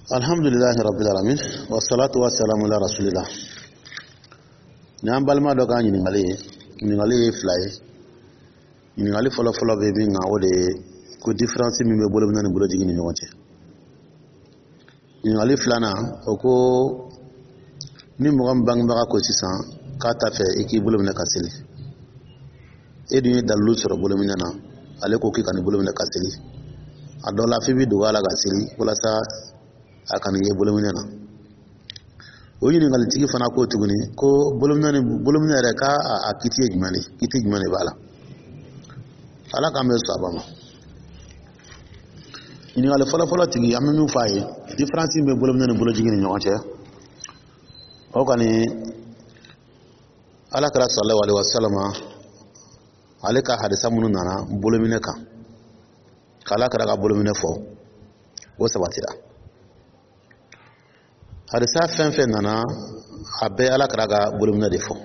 Alhamdulilahi rabbil alamin, wassalatu wassalamu ala rasulillah. Ni an balima dɔ ka ɲininkali ye, ɲininkali ye fila ye. Ɲininkali fɔlɔ fɔlɔ bɛ min kan, o de ye ko différence min bɛ bolominɛ ni bolojigin ni ɲɔgɔn cɛ. Ɲininkali filanan, o ko ni mɔgɔ min bangebaga ko sisan k'a t'a fɛ i k'i bolo minɛ ka seli, e dun ye dalilu sɔrɔ bolominɛ na, ale ko k'i ka nin bolo minɛ ka seli, a dɔ la f'i bɛ dogo a la ka seli walasa a kana ye bolominɛ na. O ɲininkalitigi fana ko tuguni ko bolominɛ ni bolominɛ yɛrɛ, k'a a kiti ye jumɛn de ye, kiti jumɛn de b'a la? Ala k'an bɛ sɔn a ma. Ɲininkali fɔlɔfɔlɔ tigi, an bɛ min fɔ a ye, différence min bɛ bolominɛ ni bolojigin ni ɲɔgɔn cɛ, o kɔni, Ala kira sallallahu alaihi wasallam, ale ka hadisa minnu nana bolominɛ kan, k'Ala kira ka bolominɛ fɔ, o sabatira. Hadisa fɛn fɛn nana, a bɛɛ Ala kira ka bolominɛ de fɔ.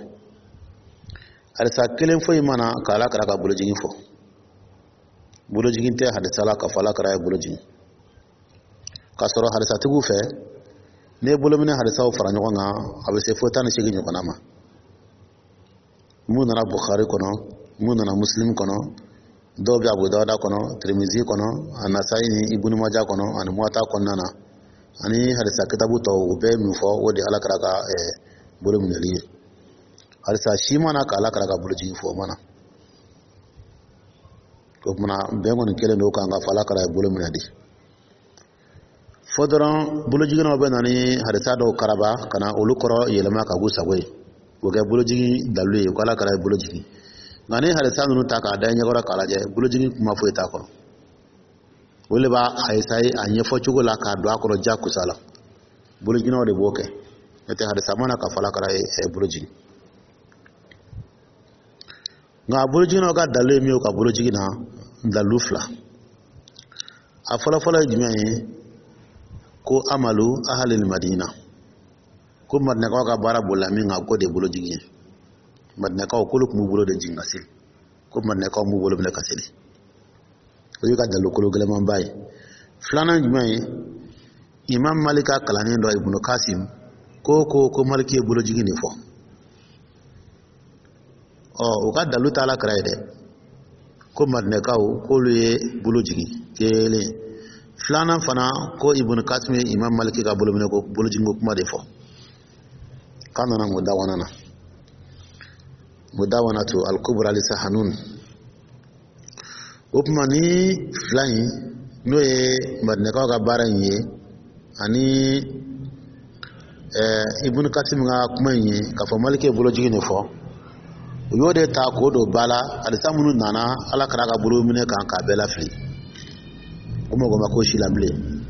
Hadisa kelen foyi ma na ka Ala kira ka bolojigin fɔ. Bolojigin tɛ hadisa la k'a fɔ Ala kira ye bolojigin. K'a sɔrɔ hadisatigiw fɛ, n'i ye bolominɛ hadisaw fara ɲɔgɔn kan, a bɛ se fo 18 ɲɔgɔnna ma. Mun nana Bukhari kɔnɔ, mun nana Muslim kɔnɔ, dɔw bɛ Abu Dawuda kɔnɔ, Tirimizi kɔnɔ, a Nasayi ni Ibunu Maja kɔnɔ, ani Muwata kɔnɔna na, ani hadisa kitabu tɔw, u bɛɛ ye min fɔ, o de ye Ala kira ka bolo minɛli ye. Hadisa si ma na ka Ala kira ka bolojigin fɔ, o ma na. O kumana, bɛn kɔni kɛlen don kan k'a fɔ Ala kira ye bolo minɛ de. Fo dɔrɔn bolojiginnaw bɛ na ni hadisa dɔw karaba ka na olu kɔrɔ yɛlɛma ka k'u sago ye, k'o kɛ bolojigin dalilu ye ko Ala kira ye bolo jigin. Nka ni hadisa ninnu ta k'a da i ɲɛkɔrɔ k'a lajɛ, bolojigin kuma foyi t'a kɔnɔ. O de b'a a esaye a ɲɛfɔ cogo la k'a don a kɔrɔ jakusa la. Bolojiginnaw de b'o kɛ, n'o tɛ hadisa ma na k'a fɔ Ala kira ye bolo jigin. Nka bolojiginnaw ka dalilu ye min ye u ka bolojigin na, dalilu fila. A fɔlɔfɔlɔ ye jumɛn ye? Ko amalu ahalil madina, ko Madinakaw ka baara bolila min kan, k'o de ye bolojigin ye. Madinakaw k'olu tun b'u bolo de jigin ka seli, ko Madinakaw b'u bolo minɛ ka seli. O y'u ka dalilu kolo gɛlɛmanba ye. Filanan jumɛn ye? Imam Malik ka kalanden dɔ, Ibunu Kasim, ko Maliki ye bolojigin de fɔ. Ɔ, u ka dalilu t'a la kira ye dɛ, ko Madinɛkaw k'olu ye bolo jigin kelen. Filanan fana, ko Ibunu Kasim ye Imam Maliki ka bolominɛ ko bolojiginko kuma de fɔ, k'a nana Mudawana na, Mudawanatu al-Kubra li Sahanun. O tuma ni fila in, n'o ye Madinɛkaw ka baara in ye ani Ibunu Kasim ka kuma in ye k'a fɔ Maliki ye bolojigin de fɔ, u y'o de ta k'o don ba la hadisa minnu nana Ala kira ka bolo minɛ kan, k'a bɛɛ lafili. O mɔgɔ ma ko si la bilen.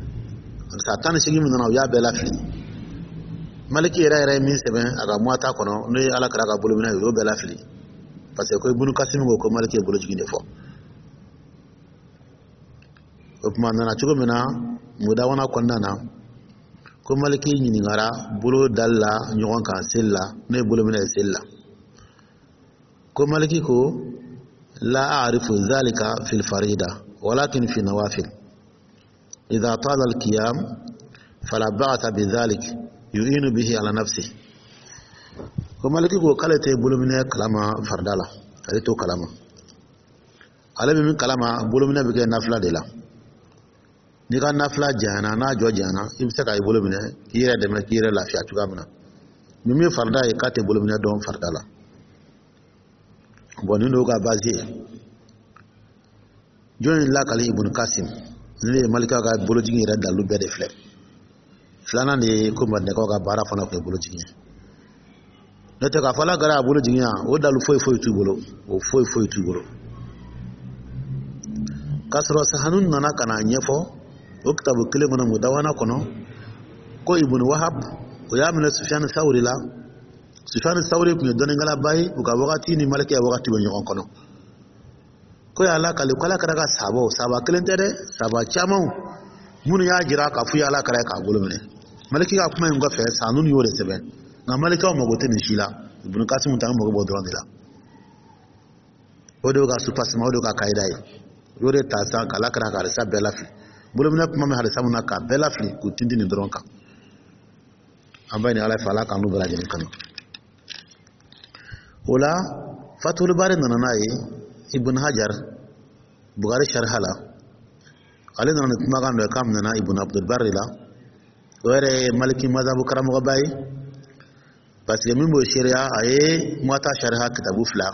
Hadisa 18 min nana, u y'a bɛɛ lafili. Maliki yɛrɛ yɛrɛ ye min sɛbɛn a ka Muwata kɔnɔ, n'o ye Ala kira ka bolo minɛ ye, u y'o bɛɛ lafili, parce que ko Ibunu Kasim ko ko Maliki ye bolojigin de fɔ. O tuma, a nana cogo min na Mudawana kɔnɔna na, ko Maliki ɲininkara bolo dali la ɲɔgɔn kan seli la, n'o ye bolo minɛ ye seli la, ko Maliki ko: la a'rifu dhalika fil farida, walakin fi nawafil idha tala al-qiyam fala ba'sa bidhalik, yu'inu bihi ala nafsi. Ko Maliki ko k'ale tɛ bolominɛ kalama farida la, ale t'o kalama. Ale bɛ min kalama, bolominɛ bɛ kɛ nafila de la. N'i ka nafila janyana, n'a jɔ janyana, i bɛ se ka i bolo minɛ k'i yɛrɛ dɛmɛ, k'i yɛrɛ lafiya cogoya min na. Ni min farida ye, k'a tɛ bolominɛ dɔn farida la. Bɔn, nin y'o ka base ye. Jɔn ye lakali? Ibunu Kasim. Nin de ye Malika ka bolojigin yɛrɛ dalilu bɛɛ de filɛ. Filanan de ye ko Madinɛkaw ka baara fana tun ye bolojigin ye. N'o tɛ, k'a fɔ Ala kira y'a bolo jigin yan, o dalu foyi foyi t'u bolo, o foyi foyi t'u bolo. K'a sɔrɔ Sahanun nana ka n'a ɲɛfɔ o kitabu kelen kɔnɔ, Mudawana kɔnɔ, ko Ibunu Wahab, o y'a minɛ Sufiyani Sawuri la. Sufiyani Sawuri tun ye dɔnnikɛlaba ye, u ka wagati ni Maliki ya wagati bɛ ɲɔgɔn kɔnɔ. Ko y'a lakali ko Ala kira ka sabaw, saba kelen tɛ dɛ, saba camanw minnu y'a jira k'a f'u ye Ala kira ye k'a bolo minɛ. Maliki ka kuma in kɔfɛ, Sahanun y'o de sɛbɛn. Nka Malikaw mago tɛ nin si la, Ibunu Kasimu ta, an mago b'o dɔrɔn de la. O de y'u ka soubassement, o de y'u ka kayida ye. U y'o de ta sisan k'Ala kira ka hadisa bɛɛ lafili. Bolominɛ kuma bɛ hadisa mun na, k'a bɛɛ lafili k'u tintin nin dɔrɔn kan. An b'a ɲini Ala fɛ, Ala k'an n'u bɛɛ lajɛlen kanu. O la, Fatul Bari nana n'a ye. Ibn Hajar, Bukari sariha la, ale nana ni kumakan dɔ ye k'a minɛna Ibn Abdul Bari la. O yɛrɛ ye Maliki mazabu karamɔgɔba ye, parce que min b'o seereya, a ye Muwata sariha kitabu fila,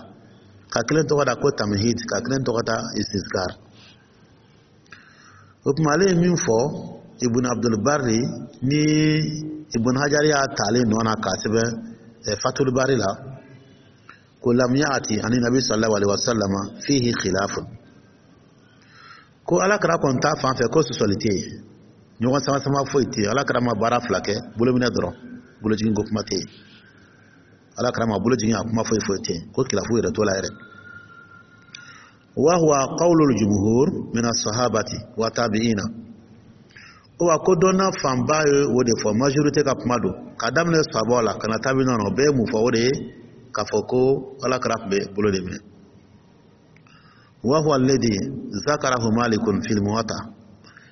ka kelen tɔgɔ da ko Tamhid, ka kelen tɔgɔ da Istizkar. O tuma, ale ye min fɔ Ibn Abdul Bari ni Ibn Hajar y'a ta ale nɔ na k'a sɛbɛn Fatul Bari la, ko lam yaati ani nabi sallallahu alaihi wasallam fihi khilafun, ko Ala kɛra kɔni ta fan fɛ, ko sɔsɔli tɛ yen, ɲɔgɔn sama sama foyi tɛ yen. Ala kɛra ma baara fila kɛ, bolominɛ dɔrɔn, bolojigin ko kuma tɛ yen. Ala kɛra ma bolo jigin, a kuma foyi foyi tɛ yen, ko khilafu yɛrɛ t'o la yɛrɛ. Wa huwa qawlul jumhur min as-sahabati wa tabi'ina. Wa ko dɔnna fanba ye o de fɔ, majorité ka kuma don, ka daminɛ sahabaw la ka na tabi'ina na, o bɛɛ ye mun fɔ? O de ye k'a fɔ ko Ala kɛra tun bɛ bolo de minɛ. Wa huwa alladhi zakarahu Malikun fil Muwatta,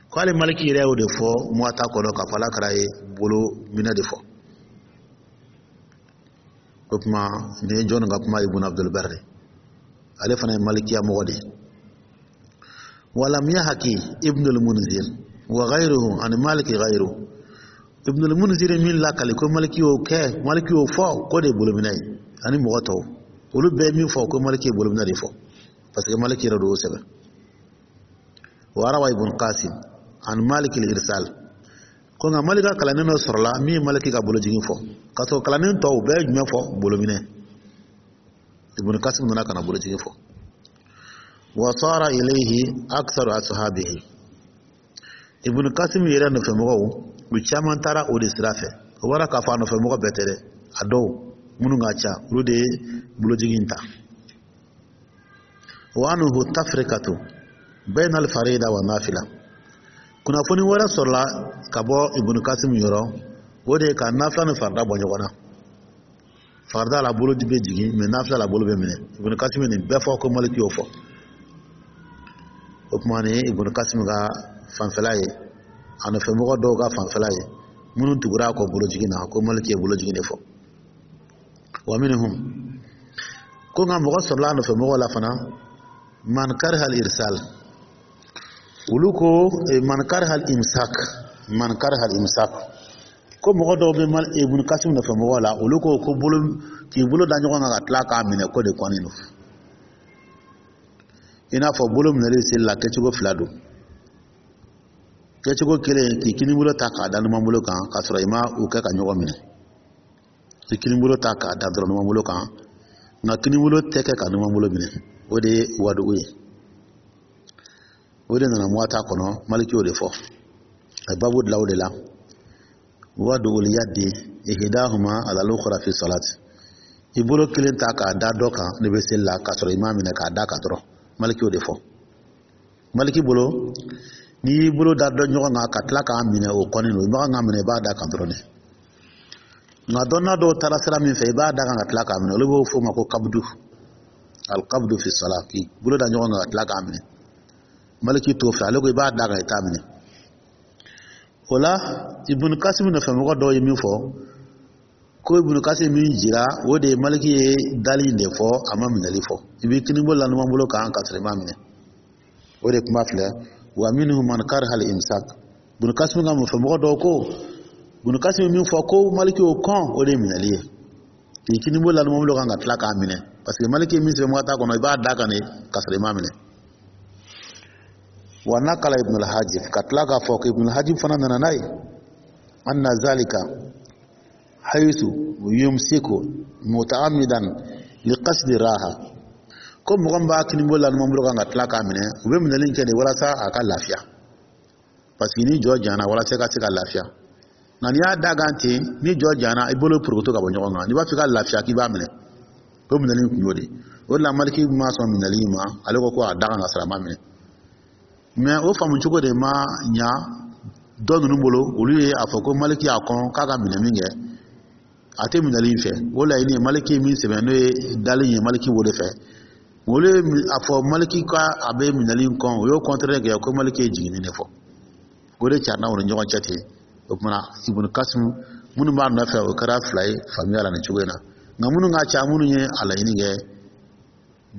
ko hali Maliki yɛrɛ y'o de fɔ Muwatta kɔnɔ, k'a fɔ Ala kɛra ye bolo minɛ de fɔ. O tuma, nin ye jɔnni ka kuma? Ibn Abdul Barri, ale fana ye malikiya mɔgɔ de ye. Walam yahki Ibn al-Munzir wa ghayruhu an Maliki ghayru Ibn al-Munzir min lakali ko Maliki y'o kɛ, Maliki y'o fɔ ko de ye bolominɛ ye, ani mɔgɔ tɔw, olu bɛɛ ye min fɔ ko Maliki ye bolominɛ de fɔ, parce que Maliki yɛrɛ de y'o sɛbɛn. Wa rawa Ibn Qasim an Maliki al-irsal, ko nka Maliki ka kalanden dɔ sɔrɔla min ye Maliki ka bolojigin fɔ, k'a sɔrɔ kalanden tɔw bɛɛ ye jumɛn fɔ? Bolominɛ. Ibn Qasim nana ka na bolojigin fɔ. Wa sara ilayhi aktharu ashabihi, Ibn Qasim yɛrɛ nɔfɛmɔgɔw, u caman taara o de sira fɛ. O bɔra k'a fɔ a nɔfɛmɔgɔ bɛɛ tɛ dɛ, a dɔw minnu ka ca, olu de ye bolojigin ta. Wa anhu tafrikatu bayna al-farida wa nafila. Kunnafoni wɛrɛ sɔrɔla ka bɔ Ibn Qasim yɔrɔ, o de ye ka nafila ni farida bɔ ɲɔgɔn na. Farida la, bolo bɛ jigin, mɛ nafila la, bolo bɛ minɛ. Ibn Qasim nin bɛɛ fɔ ko Maliki y'o fɔ. O tuma, nin ye Ibn Qasim ka fanfɛla ye, a nɔfɛmɔgɔ dɔw ka fanfɛla ye minnu tugura a kɔ bolojigin na, ko Maliki ye bolojigin de fɔ. Wa minhum, ko nka mɔgɔ sɔrɔla a nɔfɛmɔgɔw la fana, man kariha al-irsal, olu ko man kariha al-imsak, man kariha al-imsak, ko mɔgɔ dɔw bɛ Ibn Qasim nɔfɛmɔgɔw la, olu ko bolo k'i bolo da ɲɔgɔn kan ka tila k'a minɛ, ko de kɔni don. I n'a fɔ bolo minɛli seli la, kɛcogo fila don. Kɛcogo kelen, k'i kini bolo ta k'a da numan bolo kan, k'a sɔrɔ i ma u kɛ ka ɲɔgɔn minɛ. I kini bolo ta k'a da dɔrɔn numan bolo kan, nka kini bolo tɛ kɛ ka numan bolo minɛ, o de ye wadugu ye. O de nana Muwata kɔnɔ, Maliki y'o de fɔ, a ye babu dilan o de la: wadugul yadi ihdahuma ala al-ukhra fi salat. I bolo kelen ta k'a da dɔ kan ne bɛ seli la, k'a sɔrɔ i m'a minɛ, k'a da kan dɔrɔn. Maliki y'o de fɔ. Maliki bolo, n'i y'i bolo da dɔ ɲɔgɔn kan ka tila k'a minɛ, o kɔni don, i ma kan k'a minɛ, i b'a da kan dɔrɔn de. Nka dɔnna dɔw taara sira min fɛ, i b'a da kan ka tila k'a minɛ, olu b'o fɔ o ma ko kabdu, alqabdu fi salat, k'i bolo da ɲɔgɔn kan ka tila k'a minɛ. Maliki t'o fɛ, ale ko i b'a da kan, i t'a minɛ. O la, Ibn Kasim nɔfɛmɔgɔ dɔw ye min fɔ, ko Ibn Kasim min jira, o de ye Maliki ye dali in de fɔ, a ma minɛli fɔ. I b'i kini bolo la numan bolo kan ka sɔrɔ i m'a minɛ, o de kuma filɛ: wa minhum man kariha al-imsak. Ibn Kasim ka nɔfɛmɔgɔ dɔw ko Ibn Kasim min fɔ ko Maliki y'o kɔn, o de ye minɛli ye, k'i kini bolo la numan bolo kan ka tila k'a minɛ, parce que Maliki ye min sɛbɛn Muwata kɔnɔ, i b'a da kan de ka sɔrɔ i m'a minɛ. Wa nakala Ibn al-Hajib, ka tila k'a fɔ ko Ibn al-Hajib fana nana n'a ye, anna zalika haythu yumsiku muta'ammidan liqasdi raha, ko mɔgɔ min b'a kini bolo la numan bolo kan ka tila k'a minɛ, u bɛ minɛli kɛ de walasa a ka lafiya, parce que ni jɔ jana, walasa i ka se ka lafiya. Nka n'i y'a da kan ten, ni jɔ jana, i bolo porokoto ka bɔ ɲɔgɔn kan. N'i b'a fɛ ka lafiya, k'i b'a minɛ, o minɛli kun y'o de. O de la, Maliki ma sɔn minɛli ma, ale ko a da kan ka sɔrɔ a ma minɛ. Mɛ o faamu cogo de ma ɲa dɔ ninnu bolo. Olu ye a fɔ ko Maliki y'a kɔn k'a ka minɛ min kɛ, a tɛ minɛli in fɛ. O laɲini ye Maliki ye min sɛbɛn, n'o ye dali ye, Maliki b'o de fɛ. Olu ye a fɔ Maliki ka a bɛ minɛli in kɔn, o y'o contraire kɛ, ko Maliki ye jiginni de fɔ. O de carila u ni ɲɔgɔn cɛ ten. O tuma na, Ibunu Kasimu minnu b'a nɔfɛ, o kɛra fila ye faamuya la nin cogo in na. Nka minnu ka ca, minnu ye a laɲini kɛ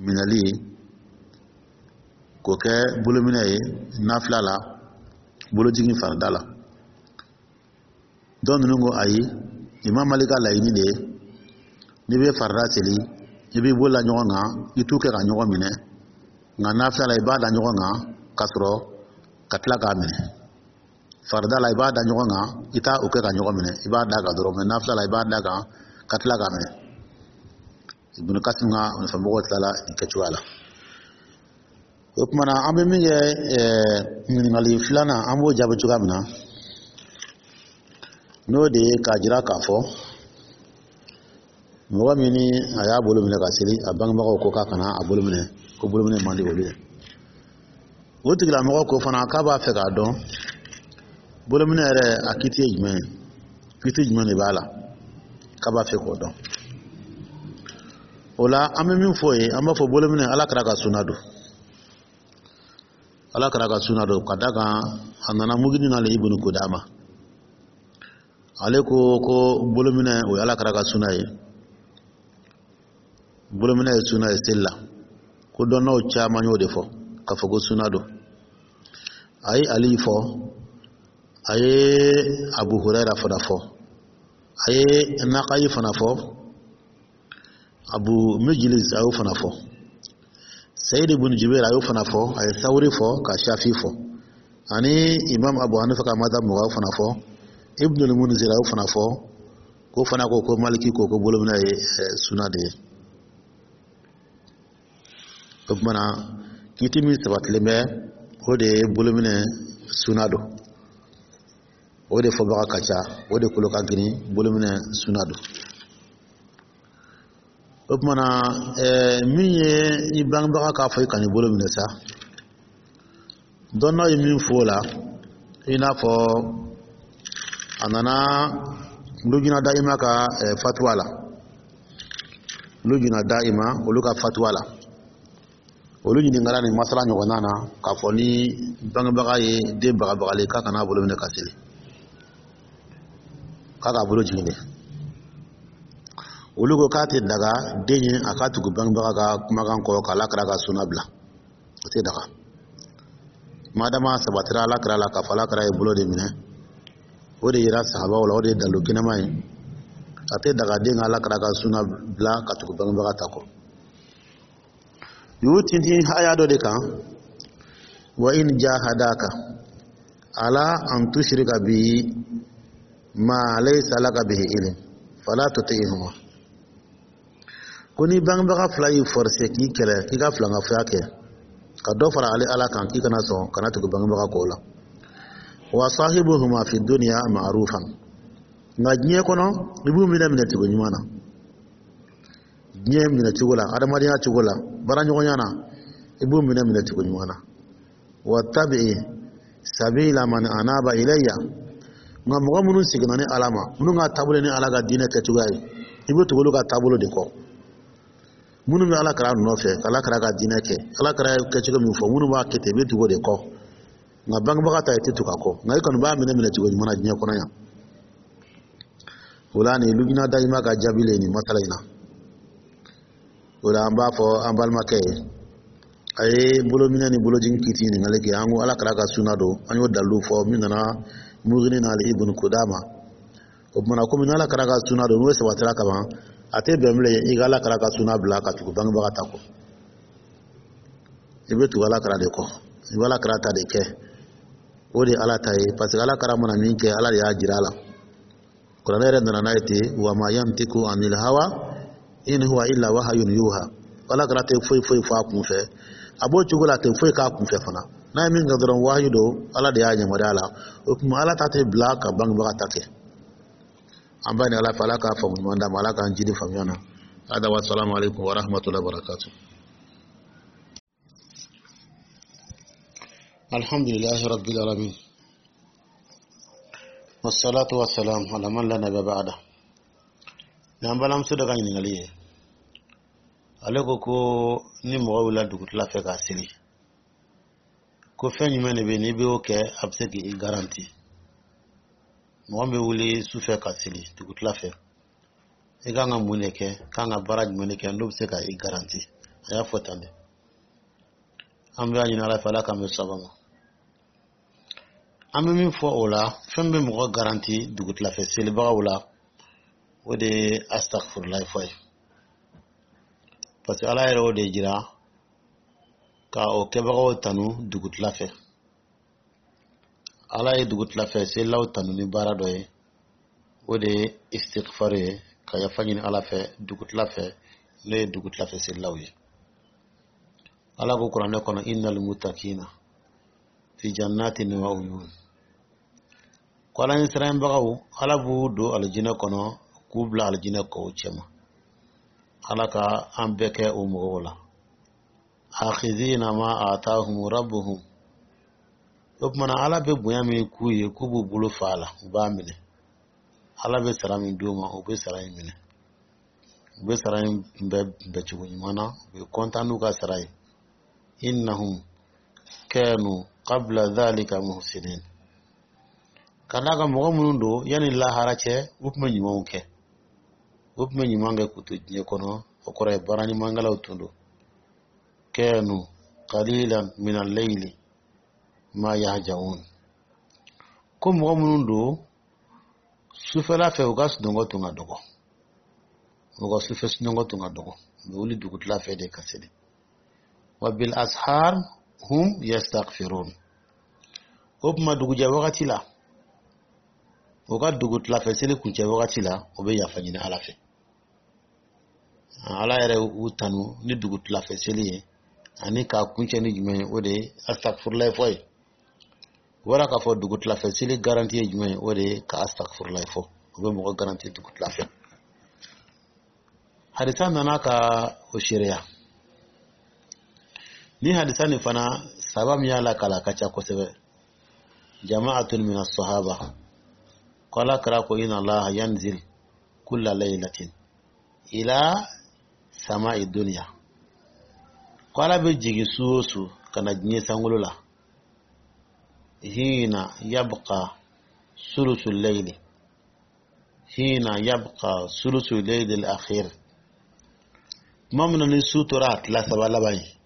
minɛli ye k'o kɛ bolominɛ ye nafila la, bolojigin farida la, dɔw ninnu ko ayi, Imam Malik ka laɲini de ye n'i bɛ farida seli, i b'i bolo la ɲɔgɔn kan, i t'u kɛ ka ɲɔgɔn minɛ. Nka nafila la, i b'a da ɲɔgɔn kan ka sɔrɔ ka tila k'a minɛ. Farida la, i b'a da ɲɔgɔn kan, i t'a o kɛ ka ɲɔgɔn minɛ, i b'a da kan dɔrɔn. Mɛ nafila la, i b'a da kan ka tila k'a minɛ. Ibunu Kasim ka nɔfɛmɔgɔw tilala nin kɛcogoya la. O tuma na, an bɛ min kɛ, ɲininkali filanan, an b'o jaabi cogoya min na, n'o de ye k'a jira k'a fɔ mɔgɔ min ni a y'a bolo minɛ ka seli, a bangebagaw ko k'a kana a bolo minɛ, ko bolo minɛ man di olu ye. O tigilamɔgɔ ko fana k'a b'a fɛ k'a dɔn bolominɛ yɛrɛ, a kiti ye jumɛn ye, kiti jumɛn de b'a la, k'a b'a fɛ k'o dɔn. O la, an bɛ min fɔ o ye, an b'a fɔ bolominɛ, Ala kira ka suna don, Ala kira ka suna don, ka da kan a nana Mugini na Ibunu Kudama, ale ko ko bolominɛ, o ye Ala kira ka suna ye, bolominɛ ye suna ye seli la. Ko dɔnnaw caman y'o de fɔ k'a fɔ ko suna don. A ye Ali fɔ, a ye Abu Hurayra fana fɔ, a ye Nakayi fana fɔ, Abu Mijiliz a y'o fana fɔ, Sayid ibn Jubair a y'o fana fɔ, a ye Sawuri fɔ, ka Shafi fɔ, ani Imam Abu Hanifa ka madhab mɔgɔw fana fɔ, Ibn al-Munzir a y'o fana fɔ, k'o fana ko ko Maliki ko ko bolominɛ ye suna de ye. O tuma na, kiti min sabatilen bɛ, o de ye bolominɛ suna don. O de fɔbaga ka ca, o de kolo ka girin, bolominɛ suna don. O tuma na, min ye i bangebaga k'a fɔ i kan'i bolo minɛ sa, dɔnnaw ye min fɔ o la, i n'a fɔ a nana Lujina Dayima ka fatuwa la, Lujina Dayima olu ka fatuwa la, olu ɲininkara nin masala ɲɔgɔnna na k'a fɔ ni bangebaga ye den bagabagali k'a kana bolo minɛ ka seli, k'a k'a bolo jigin de, olu ko k'a tɛ daga den ye a ka tugu bangebaga ka kumakan kɔ k'Ala kira ka suna bila. O tɛ daga, madama sabatira Ala kira la k'a fɔ Ala kira ye bolo de minɛ, o de yira sahabaw la, o de ye dalilu kɛnɛma ye. A tɛ daga den ka Ala kira ka suna bila ka tugu bangebaga ta kɔ. U y'u tintin haya dɔ de kan: wa in jahadaka ala an tushrika bi ma laysa laka bihi ilm fala tuti'huma. Ko ni bangebaga fila y'i forcé k'i kɛlɛ k'i ka filankafoya kɛ, ka dɔ fara ale Ala kan, k'i kana sɔn, kana tugu bangebaga kɔ la. Wa sahibuhuma fi dunya ma'rufan, nka diɲɛ kɔnɔ, i b'u minɛ minɛ cogo ɲuman na, diɲɛ minɛ cogo la, adamadenya cogo la, baaraɲɔgɔnya na, i b'u minɛ minɛ cogo ɲuman na. Wa tabi'i sabila man anaba ilayya, nka mɔgɔ minnu seginna ni Ala ma, minnu ka taabolo ni Ala ka diinɛ kɛcogoya ye, i bɛ tugu olu ka taabolo de kɔ. Minnu bɛ Ala kira nɔfɛ, Ala kira ka diinɛ kɛ, Ala kira ye kɛcogo min fɔ, minnu b'a kɛ ten, i bɛ tugu o de kɔ. Nka bangebaga ta, i tɛ tugu a kɔ, nka i kɔni b'a minɛ minɛ cogo ɲuman na diɲɛ kɔnɔ yan. O la, nin Lujina Dayima ka jaabi le nin masala in na. O la, an b'a fɔ an balimakɛ ye, a ye bolominɛ ni bolojigin kiti ɲininkali kɛ, an ko Ala kira ka suna don, an y'o dalilu fɔ min nana Mugini n'ale Ibn Kudama. O tuma na, komi n'Ala kira ka suna don, n'o sabatira kaban, a tɛ bɛn bilen i ka Ala kira ka suna bila ka tugu bangebaga ta kɔ. I bɛ tugu Ala kira de kɔ, i bɛ Ala kira ta de kɛ, o de ye Ala ta ye, parce que Ala kira mana min kɛ, Ala de y'a jira a la. Kuranɛ yɛrɛ nana n'a ye ten: wa ma yantiku anil hawa in huwa illa wahayun yuha. Ala kira tɛ foyi foyi fɔ a kun fɛ, a b'o cogo la, a tɛ foyi k'a kun fɛ fana. N'a ye min kɛ dɔrɔn, wahayu don, Ala de y'a yamaruya la. O tuma, Ala ta tɛ bila ka bangebaga ta kɛ. An b'a ɲini Ala fɛ, Ala k'a faamu ɲuman d'a ma, Ala k'an jidi faamuya na. Hada wa salamu alaikum wa rahmatullahi wa barakatuh. Alhamdulillahi rabbil alamin, wassalatu wassalam ala man la nabiyya ba'da. Ni an balimamuso dɔ ka ɲininkali ye, ale ko ko ni mɔgɔ wulila dugutila fɛ k'a seli, ko Ko fɛn jumɛn de bɛ yen n'i bɛ o kɛ, a bɛ se k'i garanti? Mɔgɔ min bɛ wuli sufɛ ka seli dugutila fɛ, i kan ka mun de kɛ, kan ka baara jumɛn de kɛ n'o bɛ se ka i garanti? A y'a fɔ tan de. An bɛ a ɲini Ala fɛ, Ala k'an bɛ saba ma. An bɛ min fɔ o la, fɛn bɛ mɔgɔ garanti dugutilafɛ selibagaw la, o de ye astagfirulayi fɔ ye, parce que Ala yɛrɛ o de jira ka o kɛbagaw tanu dugutila fɛ. Ala ye dugutilafɛ selilaw tanu ni baara dɔ ye, o de ye istigfar ye, ka yafa ɲini Ala fɛ dugutila fɛ, n'o ye dugutilafɛ selilaw ye. Ala ko Kuranɛ kɔnɔ: innal mutakina fi jannatin wa uyun. Ko Ala ɲɛsiranbagaw, Ala b'u don alijinɛ kɔnɔ k'u bila alijinɛ kɔw cɛma. Ala ka an bɛɛ kɛ o mɔgɔw la. Akhizina ma atahum rabbuhum. O kumana, Ala bɛ bonya min k'u ye, k'u b'u bolo fa a la, u b'a minɛ. Ala bɛ sara min d'u ma, u bɛ sara in minɛ, u bɛ sara in kunbɛ kunbɛcogo ɲuman na, u bɛ kɔntan n'u ka sara ye. Innahum kanu qabla dhalika muhsinin. Ka d'a kan, mɔgɔ minnu don, yanni lahara cɛ, u tun bɛ ɲumanw kɛ, u tun bɛ ɲuman kɛ k'u to diɲɛ kɔnɔ. O kɔrɔ ye, baara ɲumankɛlaw tun don. Kanu qalilan min al-layli ma yahjaun. Ko mɔgɔ minnu don, sufɛla fɛ, u ka sunɔgɔ tun ka dɔgɔ, u ka sufɛ sunɔgɔ tun ka dɔgɔ, u bɛ wuli dugutila fɛ de ka seli. Wa bil ashar hum yastaghfirun. O tuma, dugujɛ wagati la, u ka dugutilafɛ seli kuncɛ wagati la, u bɛ yafa ɲini Ala fɛ. Ala yɛrɛ u tanu ni dugutilafɛ seli ye, ani k'a kuncɛ ni jumɛn ye? O de ye astagfirulayi fɔ ye. O bɔra k'a fɔ, dugutilafɛ seli garanti ye jumɛn ye? O de ye ka astagfirulayi fɔ, o bɛ mɔgɔ garanti dugutila fɛ. Hadisa nana ka o seereya. Ni hadisa nin fana, saba min y'a lakala ka ca kosɛbɛ, jama'atun min as-sahaba, ko Ala kira ko: inna Allaha yanzil kulla laylatin ila sama'i dunya. Ko Ala bɛ jigin su o su ka na diɲɛ sankolo la, hina yabqa sulusu layli, hina yabqa sulusu layli al-akhir. Tuma min na ni su tora a tila saba laban ye,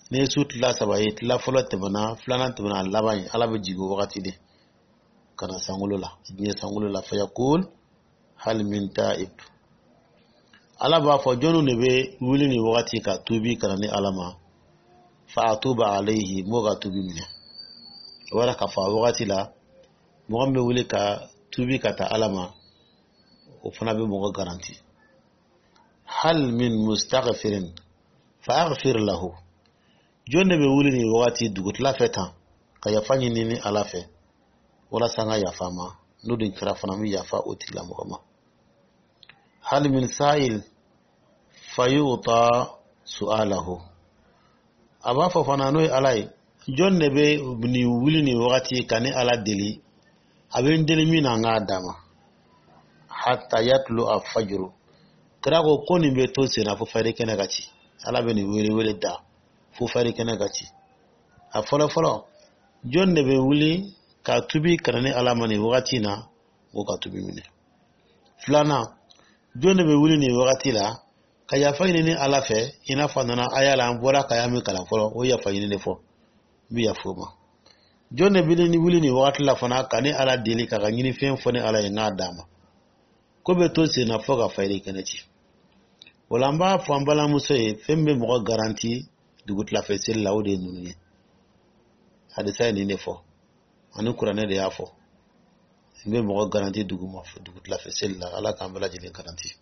ni ye su tila saba ye, tila fɔlɔ tɛmɛna, filanan tɛmɛna, a laban ye, Ala bɛ jigin o wagati de ka na sankolo la, diɲɛ sankolo la. Fayaqul hal min ta'ib. Ala b'a fɔ: jɔnniw de bɛ wuli nin wagati ka tuubi ka na ni Ala ma? Fa atuba alayhi, m'o ka tuubi minɛ. O b'a k'a fɔ, a wagati la, mɔgɔ min bɛ wuli ka tuubi ka taa Ala ma, o fana bɛ mɔgɔ garanti. Hal min mustaghfirin fa aghfir lahu. Jɔn de bɛ wuli nin wagati dugutila fɛ tan ka yafa ɲini ni Ala fɛ, walasa n ka yafa ma? N'o dun kɛra fana, n bɛ yafa o tigilamɔgɔ ma. Hal min sa'il fayuta su'alahu. A b'a fɔ fana, n'o ye Ala ye: jɔn de bɛ nin wuli nin wagati ka ni Ala deli, a bɛ n deli min na, n k'a d'a ma? Hatta yatlu a fajuru. Kira ko nin bɛ to sen na fo fajiri kɛnɛ ka ci. Ala bɛ nin wele wele da fo fajiri kɛnɛ ka ci. A fɔlɔ fɔlɔ, jɔn de bɛ wuli ka tubi ka na ni Ala ma nin wagati in na, o ka tubi minɛ? Filanan, jɔn de bɛ wuli nin wagati la ka yafa ɲini ni Ala fɛ, i n'a fɔ a nana aya la, an bɔra ka y'a min kalan fɔlɔ, o yafa ɲini de fɔ, n bɛ yafa o ma? Jɔn de bɛ wuli nin wagati la fana ka ni Ala deli, k'a ka ɲinifɛn fɔ ni Ala ye, n k'a d'a ma? Ko bɛ to sen na fo ka fajiri kɛnɛ ci. O la, an b'a fɔ an balimamuso ye, fɛn bɛ mɔgɔ garanti dugutilafɛ seli la, o de ye ninnu ye. Hadisa ye nin de fɔ, ani Kuranɛ de y'a fɔ, n bɛ mɔgɔ garanti duguma dugutilafɛ seli la. Ala k'an bɛɛ lajɛlen garanti.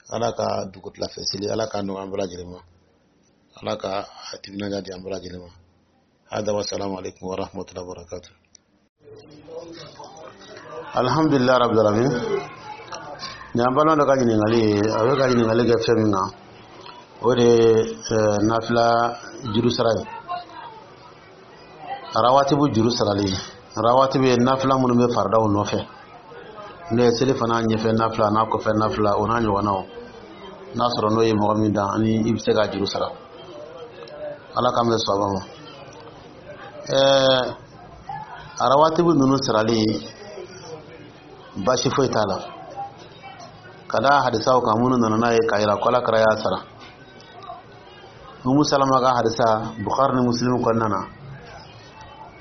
Ala ka dugutilafɛ seli, Ala k'a nɔgɔya an bɛɛ lajɛlen ma. Ala ka a timinadiya di an bɛɛ lajɛlen ma. Hada wa salamu alaikum wa rahmatullahi wa barakatuh. Alhamdulillah rabbil alamin. Nin y'an balima dɔ ka ɲininkali ye. A bɛ ka ɲininkali kɛ fɛn min kan, o de ye nafila juru sara ye, rawatibu juru sarali. Rawatibu ye nafila minnu bɛ faridaw nɔfɛ, n'o ye seli fana ɲɛfɛ nafila n'a kɔfɛ nafila, o n'a ɲɔgɔnnaw. N'a sɔrɔ n'o ye mɔgɔ min dan, ani i bɛ se k'a juru sara, Ala k'an bɛ sɔn ma. Arawatibu ninnu sarali, baasi foyi t'a la, ka da hadisaw kan minnu nana n'a ye k'a yira ko Ala kira y'a sara. Umu Salama ka hadisa, Bukhari ni Muslim kɔnɔna na,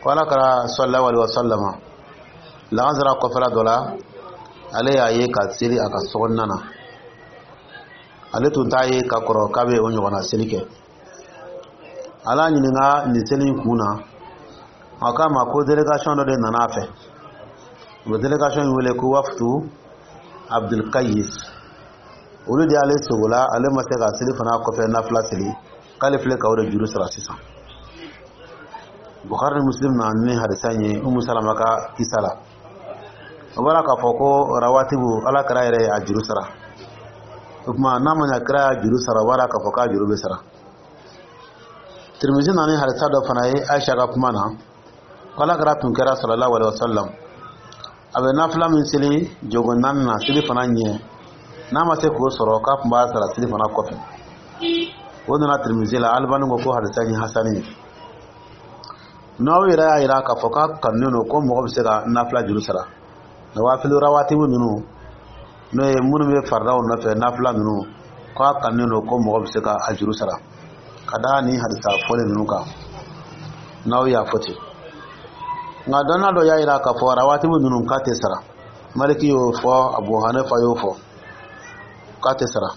ko Ala kira sallallahu alaihi wasallama, lagansara kɔfɛla dɔ la, ale y'a ye ka seli a ka sokɔnɔna na. Ale tun t'a ye ka kɔrɔ k'a bɛ o ɲɔgɔnna seli kɛ. Ala ɲininka nin seli in kun na, a k'a ma ko délégation dɔ de nana a fɛ. U bɛ délégation in wele ko Waftu Abdulkayis. Olu de y'ale sogola, ale ma se ka seli fana kɔfɛ nafila seli, k'ale filɛ ka o de juru sara sisan. Bukhari ni Muslim na ni hadisa in ye Umu Salama ka kisa la. O bɔra k'a fɔ ko rawatibu, Ala kira yɛrɛ ye a juru sara. O tuma, n'a ma ɲɛ kira y'a juru sara, o b'a k'a fɔ k'a juru bɛ sara. Tirimizi na ni hadisa dɔ fana ye Aisha ka kuma na, ko Ala kira tun kɛra sallallahu alaihi wasallam, a bɛ nafila min seli jogo naani na seli fana ɲɛ, n'a ma se k'o sɔrɔ, k'a tun b'a sara seli fana kɔfɛ. O nana Tirimizi la. Alibani ko hadisa in ye hasani ye. N'aw yɛrɛ y'a yira k'a fɔ k'a kanunen don ko mɔgɔ bɛ se ka nafila juru sara, nawafilu rawatibu ninnu, n'o ye minnu bɛ faridaw nɔfɛ, nafila ninnu, k'a kanunen don ko mɔgɔ bɛ se ka a juru sara, ka da ni hadisa fɔlen ninnu kan n'aw y'a fɔ ten. Nka dɔnna dɔ y'a yira k'a fɔ rawatibu ninnu k'a tɛ sara. Maliki y'o fɔ, Abu Hanifa y'o fɔ k'a tɛ sara.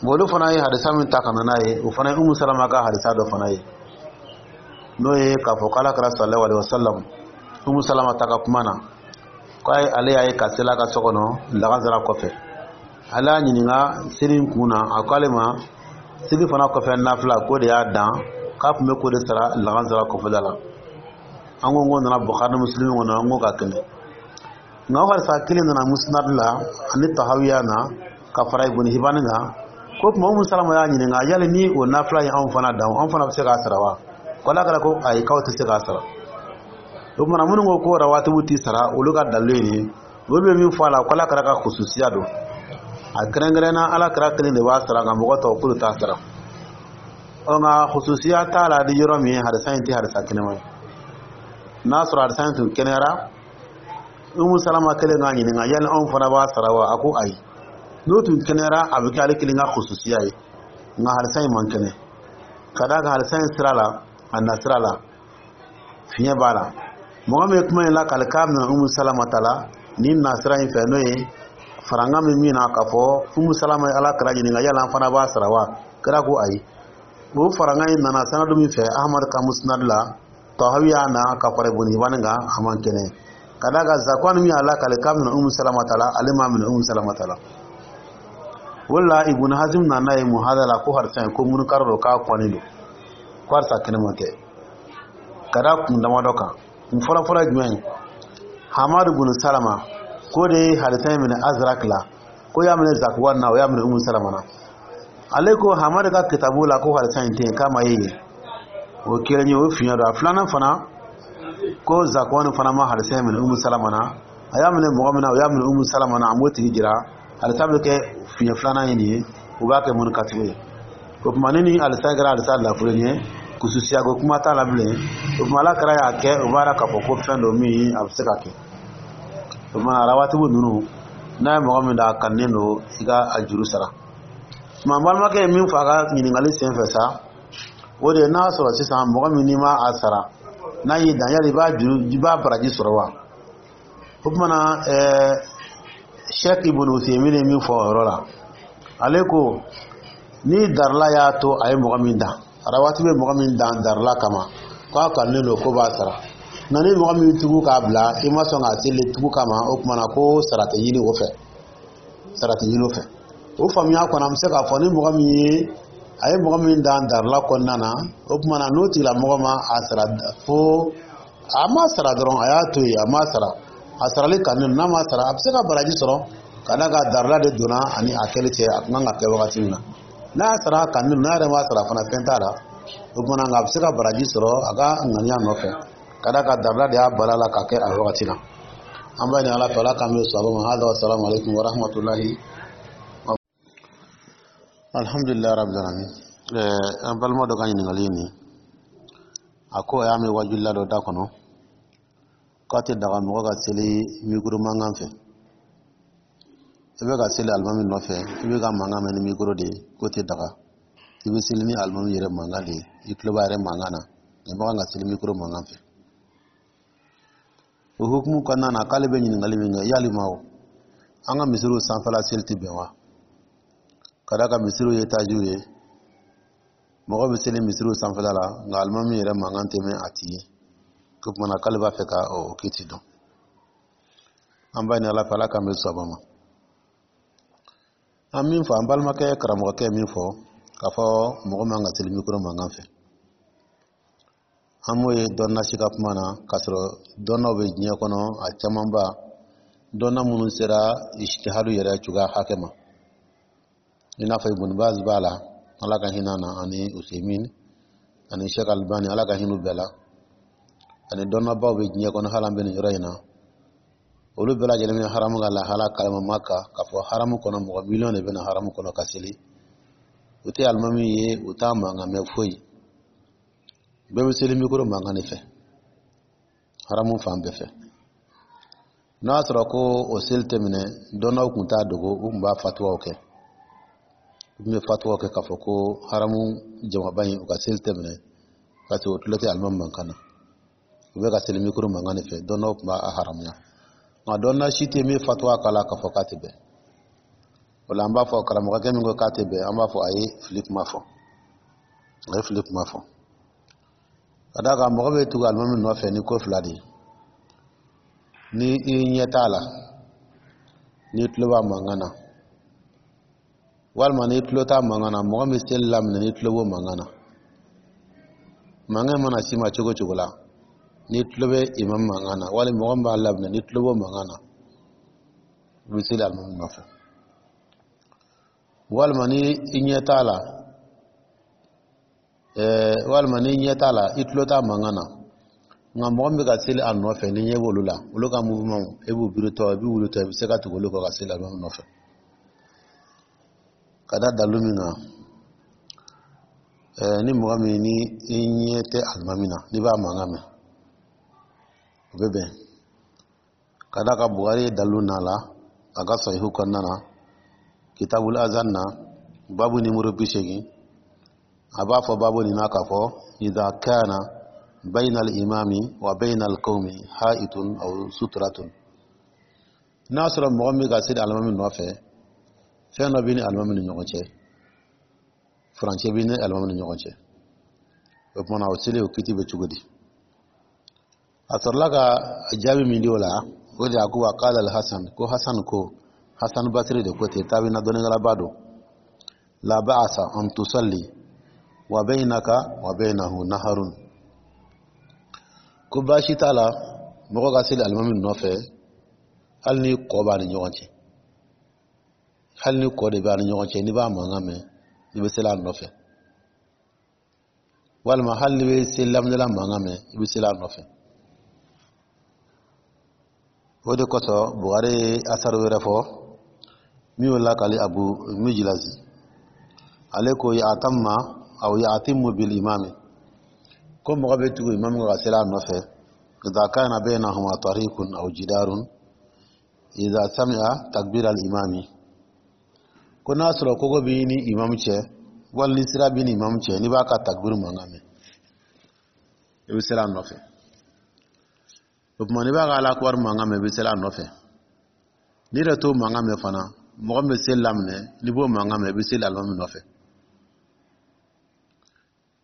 Bon, olu fana ye hadisa min ta ka na n'a ye, o fana ye Umu Salama ka hadisa dɔ fana ye, n'o ye k'a fɔ k'Ala kira sallallahu alaihi wasallam, Umu Salama ta ka kuma na, k'a ale y'a ye ka seli a ka so kɔnɔ lagansara kɔfɛ. Ale y'a ɲininka seli in kun na, a ko ale ma seli fana kɔfɛ nafila k'o de y'a dan, k'a tun bɛ k'o de sara lagansara kɔfɛla la. An ko k'o nana Bukhari ni Muslim kɔnɔ, an ko ka kɛnɛ. Nka o hadisa kelen nana Musnad la ani Tahawiya na ka fara Ibn Hibani kan, ko tuma Umu Salama y'a ɲininka yali ni o nafila ye anw fana dan, anw fana bɛ se k'a sara wa? Ko Ala kɛra ko ayi, k'aw tɛ se k'a sara. O tuma, minnu ko ko rawatibu tɛ sara, olu ka dalilu ye nin ye. Olu bɛ min fɔ a la, ko Ala kɛra ka khususiya don, a kɛrɛnkɛrɛnna Ala kɛra kelen de b'a sara, nka mɔgɔ tɔw k'olu t'a sara. Ɔ, nka khususiya t'a la di yɔrɔ min, hadisa in tɛ hadisa kɛnɛma ye. N'a sɔrɔ hadisa in tun kɛnɛyara, Umu Salama kelen k'a ɲininka yali anw fana b'a sara wa? A ko ayi. N'o tun kɛnɛyara, a bɛ kɛ ale kelen ka khususiya ye. Nka hadisa in man kɛnɛ, ka d'a kan hadisa in sira la, a na sira la, fiɲɛ b'a la. Mɔgɔ min ye kuma in lakale k'a minɛ Umu Salama ta la nin na sira in fɛ, n'o ye faranga min na k'a fɔ Umu Salama ye Ala kira ɲininka yala an fana b'a sara wa, kira ko ayi. O faranga in nana sanadu min fɛ, Ahmad ka Musnad la, Tahawi y'a na ka fara Ibn Hibani kan, a man kɛnɛ, ka d'a kan Zakwan min y'a lakale k'a minɛ Umu Salama ta la, ale m'a minɛ Umu Salama ta la. O de la Ibn Hazm nana ye muhada la ko hadisa in ko munkar don, k'a kɔnnen don, ko hadisa kɛnɛma tɛ, ka da kun damadɔ kan. Kun fɔlɔfɔlɔ ye jumɛn ye? Hamadu bin Salama k'o de ye hadisa in minɛ Azrak la, ko y'a minɛ Zakwan na, o y'a minɛ Umu Salama na. Ale ko Hamadu ka kitabu la ko hadisa in tɛ yen, k'a ma ye yen. O kelen ye, o fiɲɛ don. A filanan fana, ko Zakwan fana ma hadisa in minɛ Umu Salama na. A y'a minɛ mɔgɔ min na, o y'a minɛ Umu Salama na, a m'o tigi jira. Hadisa bɛ kɛ fiɲɛ filanan ye nin ye, o b'a kɛ munkatigiw ye. O tuma, ni hadisa kɛra hadisa lafulen ye, kususiya ko kuma t'a la bilen. O tuma, Ala kɛra y'a kɛ, o b'a k'a fɔ ko fɛn dɔ min a bɛ se ka kɛ. O tuma, arawatibu ninnu, n'a ye mɔgɔ min da, a kanunen don i ka a juru sara. Tuma, balimakɛ ye min fɔ a ka ɲininkali sen fɛ sa, o de ye n'a sɔrɔ sisan mɔgɔ min n'i ma a sara, n'a y'i dan, yali i b'a juru, i b'a baraji sɔrɔ wa? O tuma na, Sheikh Ibn Uthaymin ye min fɔ o yɔrɔ la, ale ko ni darila y'a to a ye mɔgɔ min dan, arawati bɛ mɔgɔ min dan darila kama, k'a kanunen don ko b'a sara. Nka ni mɔgɔ min tugu k'a bila, i ma sɔn k'a seli tugu kama, o tuma na ko sara tɛ ɲini o fɛ, sara tɛ ɲini o fɛ. O faamuya kɔnɔ, an bɛ se k'a fɔ ni mɔgɔ min ye, a ye mɔgɔ min dan darila kɔnɔna na, o tuma na n'o tigilamɔgɔ ma a sara, fo a ma sara dɔrɔn, a y'a to yen, a ma sara, a sarali kanu, n'a ma sara, a bɛ se ka baraji sɔrɔ, ka d'a kan darila de donna ani a kɛli cɛ, a tun kan ka kɛ wagati min na. N'a y'a sara kanu, n'a yɛrɛ ma sara fana, fɛn t'a la. O tuma na, nka a bɛ se ka baraji sɔrɔ a ka ŋaniya nɔfɛ, ka d'a kan darila de y'a bala la ka kɛ a wagati la. An b'a ɲini Ala fɛ, Ala k'an bɛ sɔrɔ ma. Hada wa salamu alaikum wa rahmatulahi. Alhamdulilayi rabbil alamin. An balima dɔ ka ɲininkali ye nin. A ko a y'a mɛn wajulila dɔ da kɔnɔ k'a tɛ daga mɔgɔ ka seli mikoro mankan fɛ. I bɛ ka seli alimami nɔfɛ, i bɛ ka mankan mɛn ni mikoro de ye, k'o tɛ daga. I bɛ seli ni alimami yɛrɛ mankan de ye, i tulo b'a yɛrɛ mankan na, nka i man kan ka seli mikoro mankan fɛ. O hukumu kɔnɔna na, k'ale bɛ ɲininkali min kɛ, yalima o an ka misiriw sanfɛla seli tɛ bɛn wa? Ka d'a kan misiriw ye etaziw ye, mɔgɔ bɛ seli misiriw sanfɛla la, nka alimami yɛrɛ mankan tɛ mɛn a ti ye. Ko tuma na k'ale b'a fɛ ka o kiti dɔn. An b'a ɲini Ala fɛ, Ala k'an bɛn sawaba ma. An min fɔ, an balimakɛ karamɔgɔkɛ min fɔ k'a fɔ mɔgɔ man ka seli mikoro mankan fɛ, an m'o ye dɔnna si ka kuma na, k'a sɔrɔ dɔnnaw bɛ diɲɛ kɔnɔ, a camanba dɔnna minnu sera ijtihadu yɛrɛ cogoya hakɛ ma, i n'a fɔ Ibn Baz b'a la, Ala ka hinɛ na, ani Usaimin ani Sheikh Albani, Ala ka hinɛ bɛɛ la, ani dɔnnabaw bɛ diɲɛ kɔnɔ. Hali an bɛ nin yɔrɔ in na, olu bɛɛ lajɛlen bɛ haramu ka lahala kalama Maka, k'a fɔ haramu kɔnɔ mɔgɔ miliyɔn de bɛ na haramu kɔnɔ ka seli. U tɛ alimami ye, u t'a mankan mɛn foyi, bɛɛ bɛ seli mikoro mankan de fɛ haramu fan bɛɛ fɛ. N'a y'a sɔrɔ ko o seli tɛ minɛ, dɔnnaw tun t'a dogo, u tun b'a fatuwaw kɛ, u tun bɛ fatuwaw kɛ k'a fɔ ko haramu jamaba in, u ka seli tɛ minɛ, parce que o tulo tɛ alimami mankan na, u bɛ ka seli mikoro mankan de fɛ. Dɔnnaw tun b'a haramuya, nka dɔnna si tɛ min fatuwa k'a la k'a fɔ k'a tɛ bɛn. O la, an b'a fɔ karamɔgɔkɛ min ko k'a tɛ bɛn, an b'a fɔ a ye fili kuma fɔ, a ye fili kuma fɔ, ka d'a kan mɔgɔ bɛ tugu alimami nɔfɛ ni ko fila de ye: ni i ɲɛ t'a la, n'i tulo b'a mankan na, walima n'i tulo t'a mankan na, mɔgɔ min seli laminɛ, n'i tulo b'o mankan na. Mankan mana s'i ma cogo cogo la, n'i tulo bɛ imam mankan na, wali mɔgɔ min b'a laminɛ, n'i tulo b'o mankan na, i bɛ seli alimami nɔfɛ. Walima ni i ɲɛ t'a la, walima n'i ɲɛ t'a la, i tulo t'a mankan na, nka mɔgɔ min bɛ ka seli a nɔfɛ, ni ɲɛ b'olu la, olu ka mouvement, e b'u biritɔ, i b'u wulitɔ, i bɛ se ka tugu olu kɔ ka seli alimami nɔfɛ. Ka da dalu min kan, ni mɔgɔ min ni i ɲɛ tɛ alimami na, n'i b'a mankan mɛn, o bɛ bɛn, ka d'a kan Bukari ye dalu n'a la a ka sahihu kɔnɔna na, kitabul azan na, babu nimoro 80. A b'a fɔ babu nin na k'a fɔ: idha kana bayna al-imami wa bayna al-qawmi ha'itun aw sutratun. N'a sɔrɔ mɔgɔ min ka seli alimami nɔfɛ, fɛn dɔ b'i ni alimami ni ɲɔgɔn cɛ, furancɛ b'i ni alimami ni ɲɔgɔn cɛ, o tuma na o seli, o kiti bɛ cogo di? A sɔrɔla ka jaabi min di o la, o de a ko: wa qala al-Hasan, ko Hasan, ko Hasan Basiri de ko ten, tabiina dɔnnikɛlaba don: la ba'asa an tusalli wa baynaka wa baynahu naharun. Ko baasi t'a la mɔgɔ ka seli alimami nɔfɛ, hali ni kɔ b'a ni ɲɔgɔn cɛ, hali ni kɔ de b'a ni ɲɔgɔn cɛ, n'i b'a mankan mɛn, i bɛ seli a nɔfɛ, walima hali n'i bɛ seli laminɛla mankan mɛn, i bɛ seli a nɔfɛ. O de kosɔn Buhari ye asaru wɛrɛ fɔ min y'o lakali Abu Mijlazi, ale ko: ya'tamma aw ya'timmu bil imami, ko mɔgɔ bɛ tugu imamu ka seli a nɔfɛ, idha kana baynahuma tariqun aw jidarun, idha sami'a takbir al imami, ko n'a sɔrɔ kogo b'i ni imamu cɛ, wali ni sira b'i ni imamu cɛ, n'i b'a ka takbir mankan mɛn, i bɛ seli a nɔfɛ. O tuma n'i b'a ka Ala akubar mankan mɛn, i bɛ seli a nɔfɛ. N'i yɛrɛ t'o mankan mɛn fana, mɔgɔ min bɛ seli laminɛ, n'i b'o mankan mɛn, i bɛ seli alimami nɔfɛ.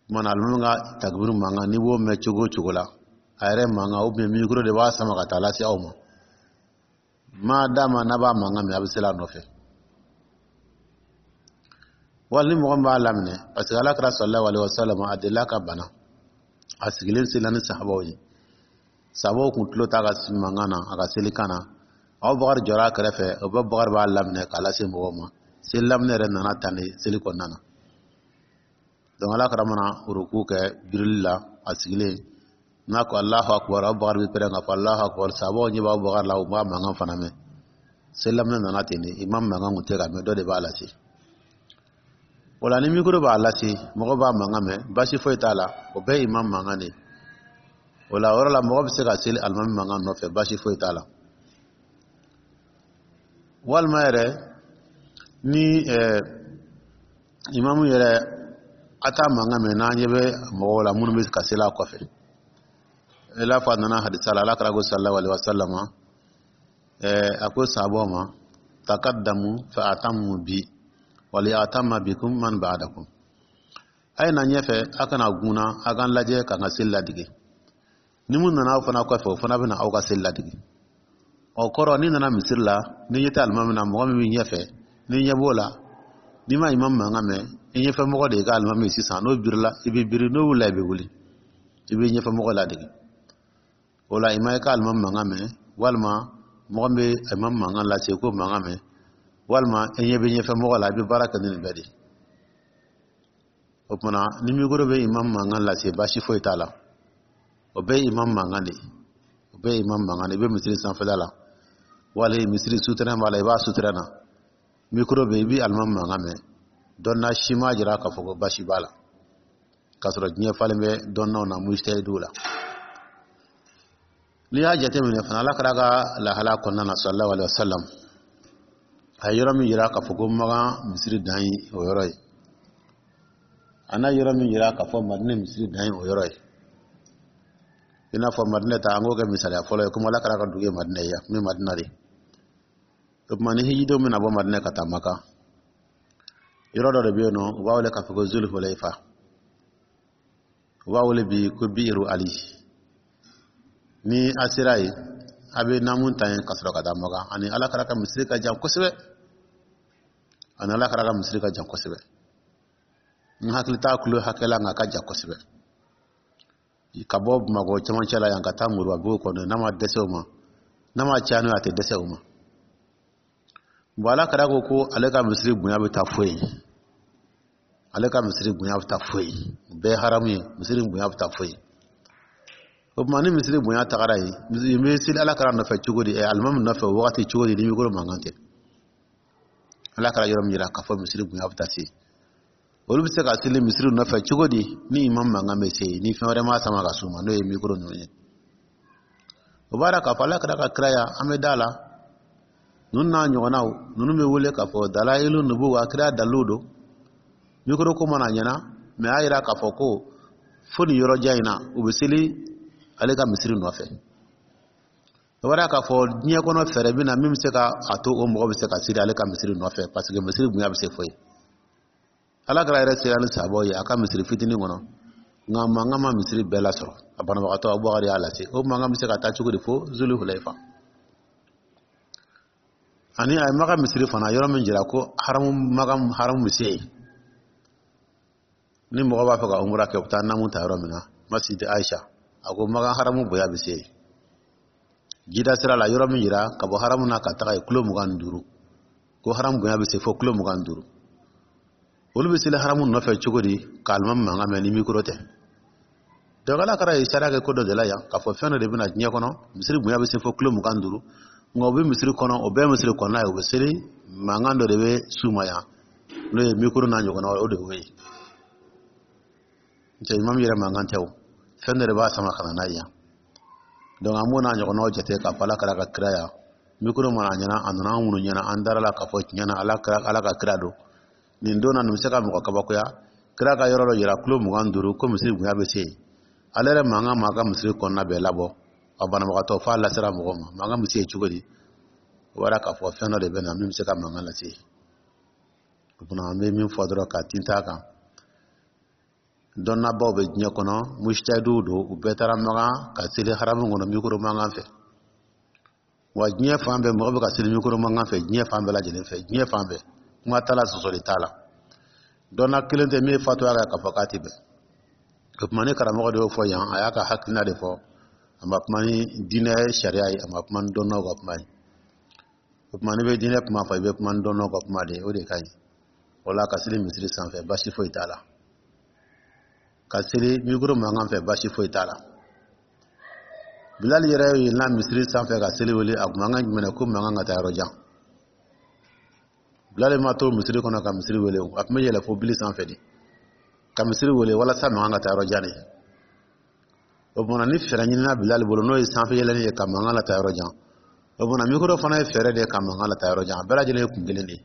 Tuma na alimami ka takbir mankan, n'i b'o mɛn cogo o cogo la, a yɛrɛ mankan ou bien micro de b'a sama ka taa lase aw ma, ma dama n'a b'a mankan mɛn, a bɛ seli a nɔfɛ. Wali ni mɔgɔ min b'a laminɛ, parce que Ala kira sallallahu alaihi wasallam, a delila ka bana, a sigilen selila ni sahabaw ye. Sahabaw kun tulo t'a ka mankan na, a ka selikan na. Abubakar jɔra a kɛrɛfɛ, Abubakar b'a laminɛ k'a lase mɔgɔw ma. Seli laminɛ yɛrɛ nana tan de seli kɔnɔna na. Donc Ala kira mana uruku kɛ birili la, a sigilen, n'a ko Alahu akubar, Abubakar bɛ pɛrɛn k'a fɔ Alahu akubar. Sahabaw ɲɛ bɛ Abubakar la, u b'a mankan fana mɛn. Seli laminɛ nana ten de, imam mankan kun tɛ ka mɛn, dɔ de b'a lase. O la ni mikoro b'a lase, mɔgɔ b'a mankan mɛn, baasi foyi t'a la, o bɛɛ ye imam mankan de ye. O la, o yɔrɔ la, mɔgɔ bɛ se ka seli alimami mankan nɔfɛ, baasi foyi t'a la. Walima yɛrɛ ni imamu yɛrɛ a t'a mankan mɛn, n'an ɲɛ bɛ mɔgɔw la minnu bɛ ka seli a kɔfɛ, i n'a fɔ a nana hadisa la, ala kira ko sallallahu alaihi wa sallam, a ko sahabaw ma: takaddamu fa atammu bi wali atamma bikum man ba'dakum. A ye na ɲɛfɛ, a kana gunna, a k'an lajɛ k'an ka seli ladege. Ni mun nana aw fana kɔfɛ, o fana bɛna aw ka seli ladege. O kɔrɔ, n'i nana misiri la, ni ɲɛ tɛ alimami na, mɔgɔ min b'i ɲɛfɛ, ni ɲɛ b'o la, n'i ma imamu mankan mɛn, i ɲɛfɛ mɔgɔ de y'i ka alimami ye sisan. N'o birila, i bɛ biri, n'o wulila, i bɛ wuli, i bɛ ɲɛfɛ mɔgɔ ladege. O la, i ma i ka alimami mankan mɛn, walima mɔgɔ min bɛ imamu mankan lase k'o mankan mɛn, walima i ɲɛ bɛ ɲɛfɛ mɔgɔ la, i bɛ baara kɛ ni nin bɛɛ de ye. O tuma, ni mikoro bɛ imamu mankan lase, baasi foyi t'a la. O bɛɛ ye imamu mankan de ye, o bɛɛ ye imamu mankan de ye. I bɛ misiri sanfɛla la, wali misiri sutɛrɛn b'a la, i b'a sutɛrɛn na, mikoro bɛ yen, i bɛ alimami mankan mɛn. Dɔnna si m'a jira k'a fɔ ko baasi b'a la, k'a sɔrɔ diɲɛ falen bɛ dɔnnaw na, mujtahiduw la. N'i y'a jateminɛ fana, ala kira ka lahala kɔnɔna na, sallallahu alaihi wa sallam, a ye yɔrɔ min jira k'a fɔ ko Makan misiri dan ye o yɔrɔ ye, a n'a yɔrɔ min jira k'a fɔ Madinɛ misiri dan ye o yɔrɔ ye. I n'a fɔ Madinɛ ta, an k'o kɛ misaliya fɔlɔ ye, komi ala kira ka dugu ye Madinɛ ye, a tun bɛ Madinɛ de. O tuma, ni hijidenw bɛna bɔ Madinɛ ka taa Maka, yɔrɔ dɔ de bɛ yen nɔ, u b'a wele k'a fɔ ko Zuluhulefa, u b'a wele bi ko Biiru Ali. Ni a sera yen, a bɛ naamu ta yen ka sɔrɔ ka taa Maka. Ani ala kira ka misiri ka jan kosɛbɛ, ani ala kira ka misiri ka jan kosɛbɛ. N hakili t'a kulo hakɛ la, nka a ka jan kosɛbɛ. Ka bɔ Bamakɔ cɛmancɛ la yan ka taa Moribabugu kɔnɔ, n'a ma dɛsɛ o ma, n'a ma caya n'o ye, a tɛ dɛsɛ o ma. Bon, ala kira ko ko ale ka misiri bonya bɛ taa fo yen, ale ka misiri bonya bɛ taa fo yen. O bɛɛ ye haramu ye, misiri bonya bɛ taa fo yen. O tuma, ni misiri bonya tagara yen, n bɛ seli ala kira nɔfɛ cogo di, alimami nɔfɛ o wagati cogo di, ni mikoro mankan tɛ? Ala kira yɔrɔ min jira k'a fɔ misiri bonya bɛ taa se, olu bɛ se ka seli misiri nɔfɛ cogo di, ni imam mankan bɛ se yen, ni fɛn wɛrɛ ma sama ka s'u ma, n'o ye mikoro ninnu ye? O b'a yira k'a fɔ ala kira ka kiraya, an bɛ da la. Ninnu n'a ɲɔgɔnnaw ninnu bɛ wele k'a fɔ dalayilu nubuwa, kira dalilu don. Mikoro ko mana ɲɛna mɛ, a yira k'a fɔ ko fo nin yɔrɔ jan in na, u bɛ seli ale ka misiri nɔfɛ. O b'a yira k'a fɔ diɲɛ kɔnɔ fɛɛrɛ bɛ na min bɛ se ka a to o mɔgɔ bɛ se ka seli ale ka misiri nɔfɛ, parce que misiri bonya bɛ se fo yen. Ala kira yɛrɛ sera ni sahabaw ye a ka misiri fitinin kɔnɔ, nka mankan ma misiri bɛɛ lasɔrɔ. A banabagatɔ Abubakar y'a lase. O mankan bɛ se ka taa cogo di fo Zulu Hulefa? Ani a ye Maka misiri fana yɔrɔ min jira ko haramu, Maka haramu bɛ se yen, ni mɔgɔ b'a fɛ ka umura kɛ, u bɛ taa namu ta yɔrɔ min na, Masjid Aisha, a ko Maka haramu bonya bɛ se yen. Jida sira la, yɔrɔ min jira ka bɔ haramu na ka taga yen kilo 25, ko haramu bonya bɛ se fo kilo 25. Olu bɛ seli haramu nɔfɛ cogo di, k'a alimami mankan mɛn, ni mikoro tɛ? Donc ala kira ye sariya kɛ ko dɔ de la yan, k'a fɔ fɛn dɔ de bɛna diɲɛ kɔnɔ, misiri bonya bɛ se fo kilo 25, nka u bɛ misiri kɔnɔ, o bɛɛ misiri kɔnɔna ye, u bɛ seli, mankan dɔ de bɛ s'u ma yan, n'o ye mikoro n'a ɲɔgɔnna, o de y'o ye. N'o tɛ imamu yɛrɛ mankan tɛ o, fɛn dɔ de b'a sama ka na n'a ye yan. Donc an b'o n'a ɲɔgɔnnaw jate k'a fɔ ala kira ka kira ya, mikoro mana ɲɛna, a nana an minnu ɲɛna, an dara la k'a fɔ tiɲɛ na ala ka kira don. Nin don na, nin bɛ se ka mɔgɔ kabakoya. Kira ka yɔrɔ dɔ yira kilo 25, ko misiri bonya bɛ se yen. Ale yɛrɛ mankan ma ka misiri kɔnɔna bɛɛ labɔ, a banabagatɔ f'a lasera mɔgɔw ma, mankan bɛ se yen cogo di? O b'a k'a fɔ fɛn dɔ de bɛ na min bɛ se ka mankan lase yen. O tuma, an bɛ min fɔ dɔrɔn ka tintin a kan, dɔnnabaw bɛ diɲɛ kɔnɔ, mujtahiduw don, u bɛɛ taara Makan ka seli haramu kɔnɔ mikoro mankan fɛ. Wa diɲɛ fan bɛɛ, mɔgɔ bɛ ka seli mikoro mankan fɛ, diɲɛ fan bɛɛ lajɛlen fɛ, diɲɛ fan bɛɛ, kuma t'a la, sɔsɔli t'a la. Dɔnna kelen tɛ min ye fatuya kɛ k'a fɔ k'a tɛ bɛn. O tuma, ni karamɔgɔ de y'o fɔ yan, a y'a ka hakilina de fɔ, a ma kuma ni diinɛ sariya ye, a ma kuma ni dɔnnaw ka kuma ye. O tuma, n'i bɛ diinɛ kuma fɔ, i bɛ kuma ni dɔnnaw ka kuma de ye, o de ka ɲi. O la, ka seli misiri sanfɛ, baasi foyi t'a la. Ka seli mikoro mankan fɛ, baasi foyi t'a la. Bilali yɛrɛ yɛlɛnna misiri sanfɛ ka seli wele, a kun mankan jumɛn ko mankan ka taa yɔrɔ jan. Bilali ma to misiri kɔnɔ ka misiri wele, a tun bɛ yɛlɛ fo bili sanfɛ de ka misiri wele walasa mankan ka taa yɔrɔ jan de. O tuma ni fɛɛrɛ ɲinina Bilali bolo, n'o ye sanfɛ yɛlɛnni ye ka mankan lataa yɔrɔ jan, o tuma mikoro fana ye fɛɛrɛ de ye ka mankan lataa yɔrɔ jan. A bɛɛ lajɛlen ye kun kelen de ye.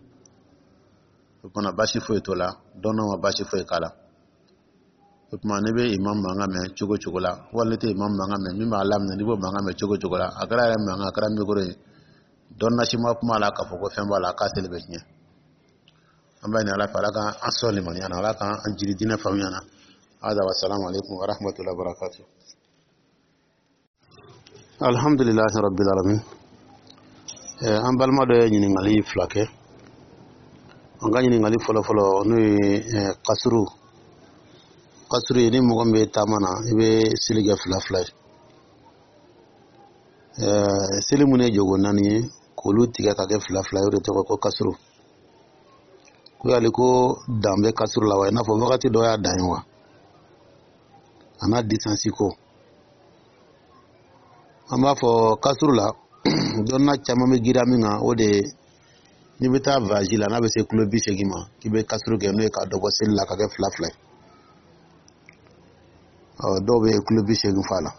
O tuma baasi foyi t'o la, dɔnnaw ma baasi foyi k'a la. O tuma n'i bɛ imam mankan mɛn cogo cogo la, wali n'i tɛ imam mankan mɛn, min b'a laminɛ, n'i b'o mankan mɛn cogo cogo la, a kɛra yɛrɛ mankan, a kɛra mikoro ye, dɔnna si ma kuma la k'a fɔ ko fɛn b'a la k'a seli bɛ tiɲɛ. An b'a ɲini Ala fɛ, Ala k'an sɔn limaniya na, Ala k'an jiri diinɛ faamuya na. Hada wa salamu alaikum wa rahmatullahi wa barakatuh. Alhamdulilahi rabbil alamin. An balima dɔ ye ɲininkali fila kɛ. An ka ɲininkali fɔlɔ-fɔlɔ, n'o ye kasuru. Kasuru ye ni mɔgɔ min bɛ taama na, i bɛ seli kɛ fila fila ye. Seli minnu ye jogo naani ye, k'olu tigɛ ka kɛ fila fila ye, o de tɔgɔ ko kasuru. Ko yali ko dan bɛ kasuru la wa, i n'a fɔ wagati dɔ y'a dan ye wa, a n'a distance ko? An b'a fɔ kasuru la, dɔnna caman bɛ giriya min kan, o de ye n'i bɛ taa voyage la, n'a bɛ se kilo 80 ma, k'i bɛ kasuru kɛ, n'o ye ka dɔ bɔ seli la ka kɛ fila fila ye. Ɔ, dɔw bɛ kilo 80 f'a la,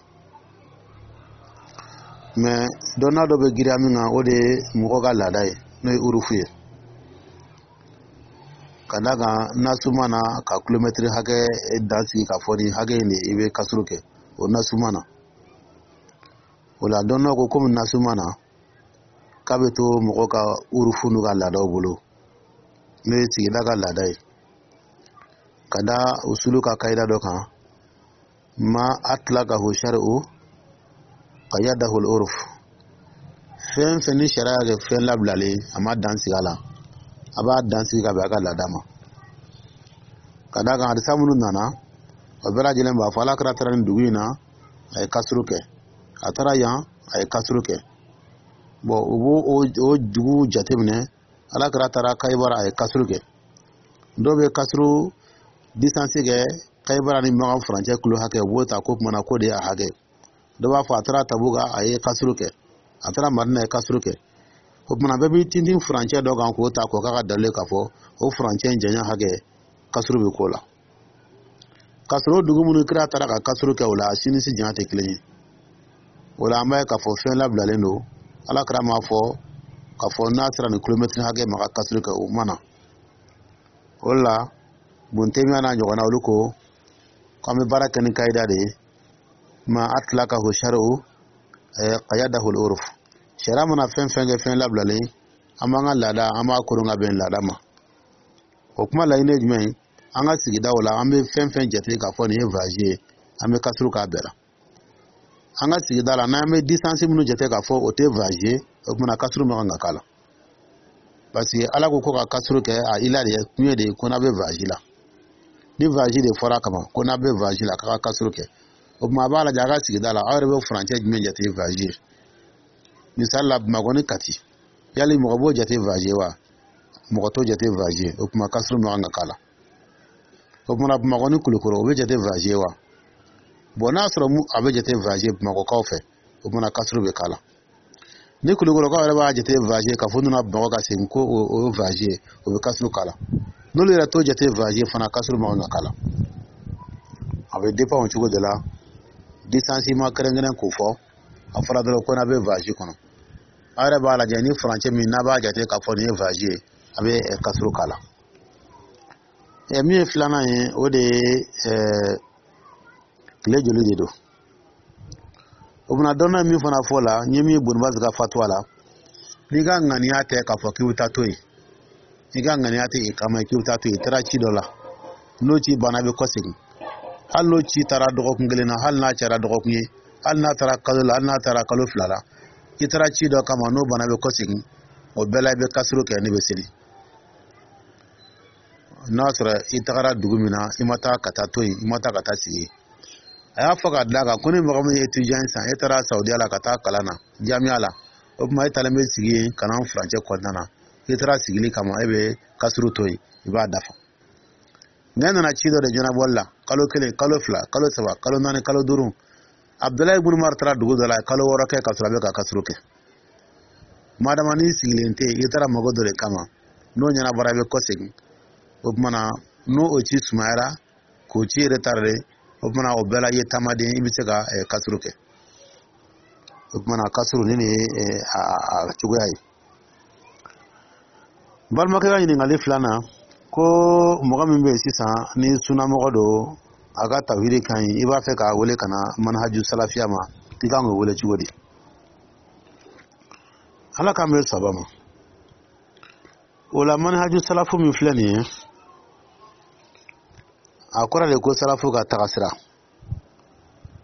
mais dɔnna dɔ bɛ giriya min kan, o de ye mɔgɔ ka laada ye, n'o ye urufu ye, ka d'a kan nasu ma na ka kilomɛtiri hakɛ dan sigi k'a fɔ nin hakɛ in de i bɛ kasuru kɛ, o nasu ma na. O la dɔnnaw ko komi nasu ma na, k'a bɛ to mɔgɔ ka urufu n'u ka laadaw bolo, n'o ye sigida ka laada ye, ka da usulu ka kayida dɔ kan: ma atlakahu shari'u qayyadahu al-urf. Fɛn fɛn ni sariya kɛ fɛn labilalen, a ma dan sigi a la, a b'a dan sigi ka bɛn a ka laada ma. Ka d'a kan hadisa minnu nana, o bɛɛ lajɛlen b'a fɔ Ala kira taara nin dugu in na, a ye kasuru kɛ, a taara yan, a ye kasuru kɛ. Bon, u b'o o dugu jateminɛ. Ala kira taara Kayibara, a ye kasuru kɛ. Dɔw bɛ kasuru distance kɛ Kayibara ni Makan furancɛ kilo hakɛ, u b'o ta ko kumana k'o de y'a hakɛ. Dɔw b'a fɔ a taara Tabuka, a ye kasuru kɛ, a taara Madina, a ye kasuru kɛ. O kumana bɛɛ b'i tintin furancɛ dɔ kan k'o ta k'o k'a ka dalilu k'a fɔ o furancɛ in janya hakɛ, kasuru bɛ k'o la. K'a sɔrɔ o dugu minnu kira taara ka kasuru kɛ o la, a si ni si janya tɛ kelen ye. O la an b'a ye k'a fɔ fɛn labilalen don. Ala kira m'a fɔ k'a fɔ n'a sera nin kilomɛtiri hakɛ ma ka kasuru kɛ, o ma na. O la Bun Temiya n'a ɲɔgɔnna, olu ko k'an bɛ baara kɛ ni kayida de ye: ma atlakahu shari'u qayyadahu al-urf. Sariya mana fɛn fɛn kɛ fɛn labilalen, an b'an ka laada, an b'a koron ka bɛn laada ma. O kuma laɲini ye jumɛn ye? An ka sigidaw la, an bɛ fɛn fɛn jate k'a fɔ nin ye voyage ye, an bɛ kasuru k'a bɛɛ la. An ka sigida la, n'an bɛ distance minnu jate k'a fɔ o tɛ voyage ye, o kumana kasuru man kan ka k'a la, parce que Ala ko ko ka kasuru kɛ, a ila de kun ye de ye ko n'a bɛ voyage la. Ni voyage de fɔra kama ko n'a bɛ voyage la, k'a ka kasuru kɛ, o tuma a b'a lajɛ a ka sigida la, aw yɛrɛ bɛ furancɛ jumɛn jate voyage ye? Misali la, Bamakɔ ni Kati, yali mɔgɔ b'o jate voyage ye wa? Mɔgɔ t'o jate voyage ye. O tuma kasuru man kan ka k'a la. O tuma Bamakɔ ni Kulukɔrɔ, o bɛ jate voyage ye wa? Bon, n'a sɔrɔ a bɛ jate voyage ye Bamakɔkaw fɛ, o tuma kasuru bɛ k'a la. Ni Kulukɔrɔkaw yɛrɛ b'a jate voyage ye k'a fɔ u nana Bamakɔ ka segin ko o ye voyage ye, o bɛ kasuru k'a la. N'olu yɛrɛ t'o jate voyage ye fana, kasuru man kan ka k'a la. A bɛ dépend o cogo de la. Distance ma kɛrɛnkɛrɛn k'o fɔ, a fɔra dɔrɔn ko n'a bɛ voyage kɔnɔ. Aw yɛrɛ b'a lajɛ ni furancɛ min n'a b'a jate k'a fɔ nin ye voyage ye, a bɛ kasuru k'a la. Min ye filanan ye, o de ye tile joli de don. O bɛna dɔnna min fana fɔ la, n ye min ye Bonibasi ka fatuwa la, n'i ka ŋaniya tɛ k'a fɔ k'i bɛ taa to yen, n'i ka ŋaniya tɛ i kama k'i bɛ taa to yen, i taara ci dɔ la, n'o ci banna, i bɛ kɔsegin. Hali n'o ci taara dɔgɔkun kelen na, hali n'a cayara dɔgɔkun ye, hali n'a taara kalo la, hali n'a taara kalo 2 la, i taara ci dɔ kama, n'o banna, i bɛ kɔsegin. O bɛɛ la i bɛ kasuru kɛ, ne bɛ seli. N'a sɔrɔ i tagara dugu min na, i ma taa ka taa to yen, i ma taa ka taa sigi. A y'a fɔ ka d'a kan ko ni mɔgɔ min ye étudiant san, e taara Saudiya la ka taa kalan na jamiya la, o tuma e taalen bɛ sigi yen kalan furancɛ kɔnɔna na, i taara sigili kama, e bɛ kasuru to yen, i b'a dafa. Nka e nana ci dɔ de ɲɛnabɔli la, kalo 1, kalo 2, kalo 3, kalo 4, kalo 5. Abudulayi ibn Umar taara dugu dɔ la, a ye kalo 6 kɛ ka sɔrɔ a bɛ ka kasuru kɛ. Madama n'i sigilen tɛ yen, i taara mago dɔ de kama, n'o ɲɛnabɔra, i bɛ kɔsegin. O tuma na n'o o ci sumayara k'o ci retardé. O tuma o bɛɛ la, i ye taamaden, i bɛ se ka kasuru kɛ. O tuma na, kasuru ni nin ye a cogoya ye. Balimakɛ ka ɲininkali filanan, ko mɔgɔ min bɛ yen sisan ni sunamɔgɔ don, a ka tawhidi ka ɲi, i b'a fɛ k'a wele ka na manhaju salafiya ma, i kan k'o wele cogo di? Ala k'an bɛ saba ma. O la, manhaju salafu min filɛ nin ye, a kɔrɔ de ko salafu ka taga sira.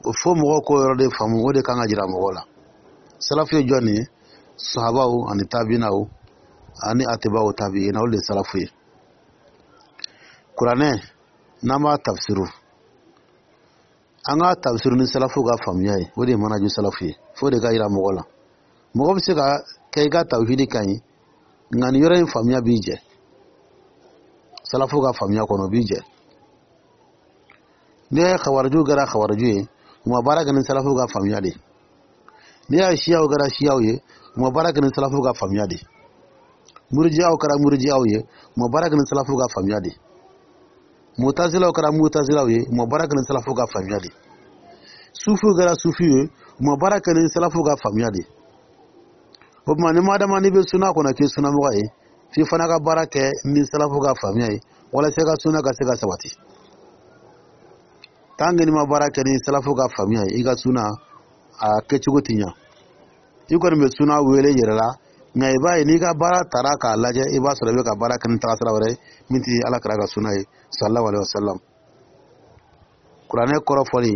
O fo mɔgɔw k'o yɔrɔ de faamu, o de kan ka jira mɔgɔw la. Salafu ye jɔn ye? Sahabaw ani tabinaw ani atibaw tabiina, olu de ye salafu ye. Kuranɛ, n'an b'a tafsiru, an k'a tafsiru ni salafu ka faamuya ye. O de ye manhaju salafu ye. Fo de ka yira mɔgɔ la. Mɔgɔ bɛ se ka kɛ i ka tawhidi ka ɲi, nka nin yɔrɔ in faamuya b'i jɛ. Salafu ka faamuya kɔnɔ, o b'i jɛ. N'i y'a ye kawariju kɛra kawariju ye, u ma baara kɛ ni salafu ka faamuya de. N'i y'a ye siyaw kɛra siyaw ye, u ma baara kɛ ni salafu ka faamuya de. Murijiyaw kɛra murijiyaw ye, u ma baara kɛ ni salafu ka faamuya de. Mutazilaw kɛra mutazilaw ye, u ma baara kɛ ni salafu ka faamuya de. Sufiw kɛra sufiw ye, u ma baara kɛ ni salafu ka faamuya de. O tuma, ni madama n'i bɛ suna kɔnɔ k'i sunamɔgɔ ye, f'i fana ka baara kɛ ni salafu ka faamuya ye, walasa i ka suna ka se ka sabati. Tant que n'i ma baara kɛ ni salafu ka faamuya ye, i ka suna a kɛcogo ti ɲa. I kɔni bɛ suna wele yɛrɛ la, nka i b'a ye, n'i ka baara tara k'a lajɛ, i b'a sɔrɔ i bɛ ka baara kɛ ni tagasira wɛrɛ ye min ti Ala kira ka suna ye, sallallahu alaihi wasallam. Kuranɛ kɔrɔ fɔli,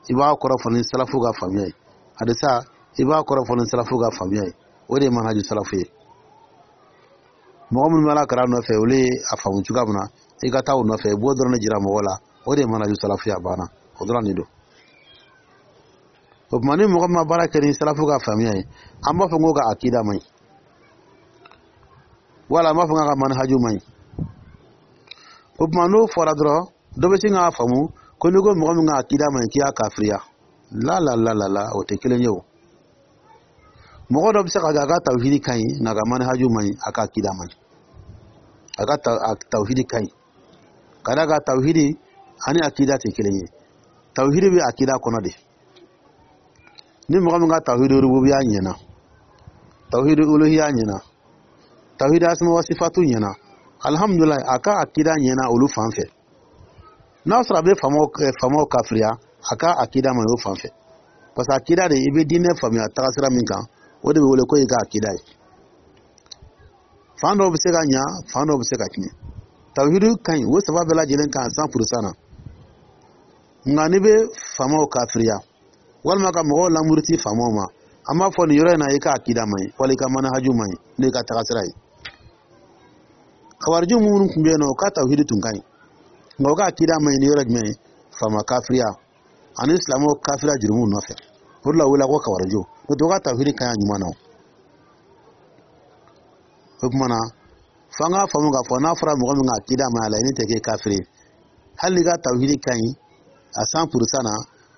i b'a kɔrɔ fɔ ni salafu ka faamuya ye. Hadisa, i b'a kɔrɔ fɔ ni salafu ka faamuya ye. O de ye manhaju salafu ye. Mɔgɔ minnu bɛ Ala kira nɔfɛ, olu ye a faamu cogoya min na, i ka taa o nɔfɛ, i b'o dɔrɔn de jira mɔgɔw la. O de ye manhaju salafu ye. A banna, o dɔrɔn de don. O tuma, ni mɔgɔ min ma baara kɛ ni salafu ka faamuya ye, an b'a fɔ ko ka akida man ɲi, wala an b'a fɔ k'a ka manhaju man ɲi. O tuma, n'o fɔra dɔrɔn, dɔ bɛ sin k'a faamu ko n'i ko mɔgɔ min ka akida man ɲi, k'i y'a kafiriya. La la la la la, o tɛ kelen ye. O mɔgɔ dɔ bɛ se ka kɛ a ka tawhidi ka ɲi, nka a ka manhaju man ɲi, a ka akida man ɲi. A ka tawhidi ka ɲi, ka d'a kan tawhidi ani akida tɛ kelen ye. Tawhidi bɛ akida kɔnɔ de. Ni mɔgɔ min ka tawhidi rububiya ɲɛna, tawhidi uluhiya ɲɛna, tawhidi asma wa sifatu ɲɛna, alhamdulilayi, a ka akida ɲɛna olu fan fɛ. N'a sɔrɔ a bɛ faamaw kafiriya, a ka akida man ɲi o fan fɛ, parce que akida de, i bɛ diinɛ faamuya tagasira min kan, o de bɛ wele ko i ka akida ye. Fan dɔw bɛ se ka ɲa, fan dɔw bɛ se ka tiɲɛ. Tawhidu ka ɲi, o saba bɛɛ lajɛlen kan 100% na. Nka n'i bɛ faamaw kafiriya walima ka mɔgɔw lamuruti faamaw ma, an b'a fɔ nin yɔrɔ in na, i ka akida man ɲi, wala i ka manahaju man ɲi, n'o i ka tagasira ye. Kawariju minnu tun bɛ yen nɔ, u ka tawhidi tun ka ɲi, nka u ka akida man ɲi ni yɔrɔ jumɛn ye? Faama kafiriya ani silamɛw kafiriya jurumu nɔfɛ. O de la u wele ko kawariju. N'o tɛ, u ka tawhidi ka ɲi a ɲuman na. O tuma na, f'an k'a faamu k'a fɔ n'a fɔra mɔgɔ min ka akida man ɲi, a laɲini tɛ k'e kafiri ye, hali n'i ka tawhidi ka ɲi a 100% na.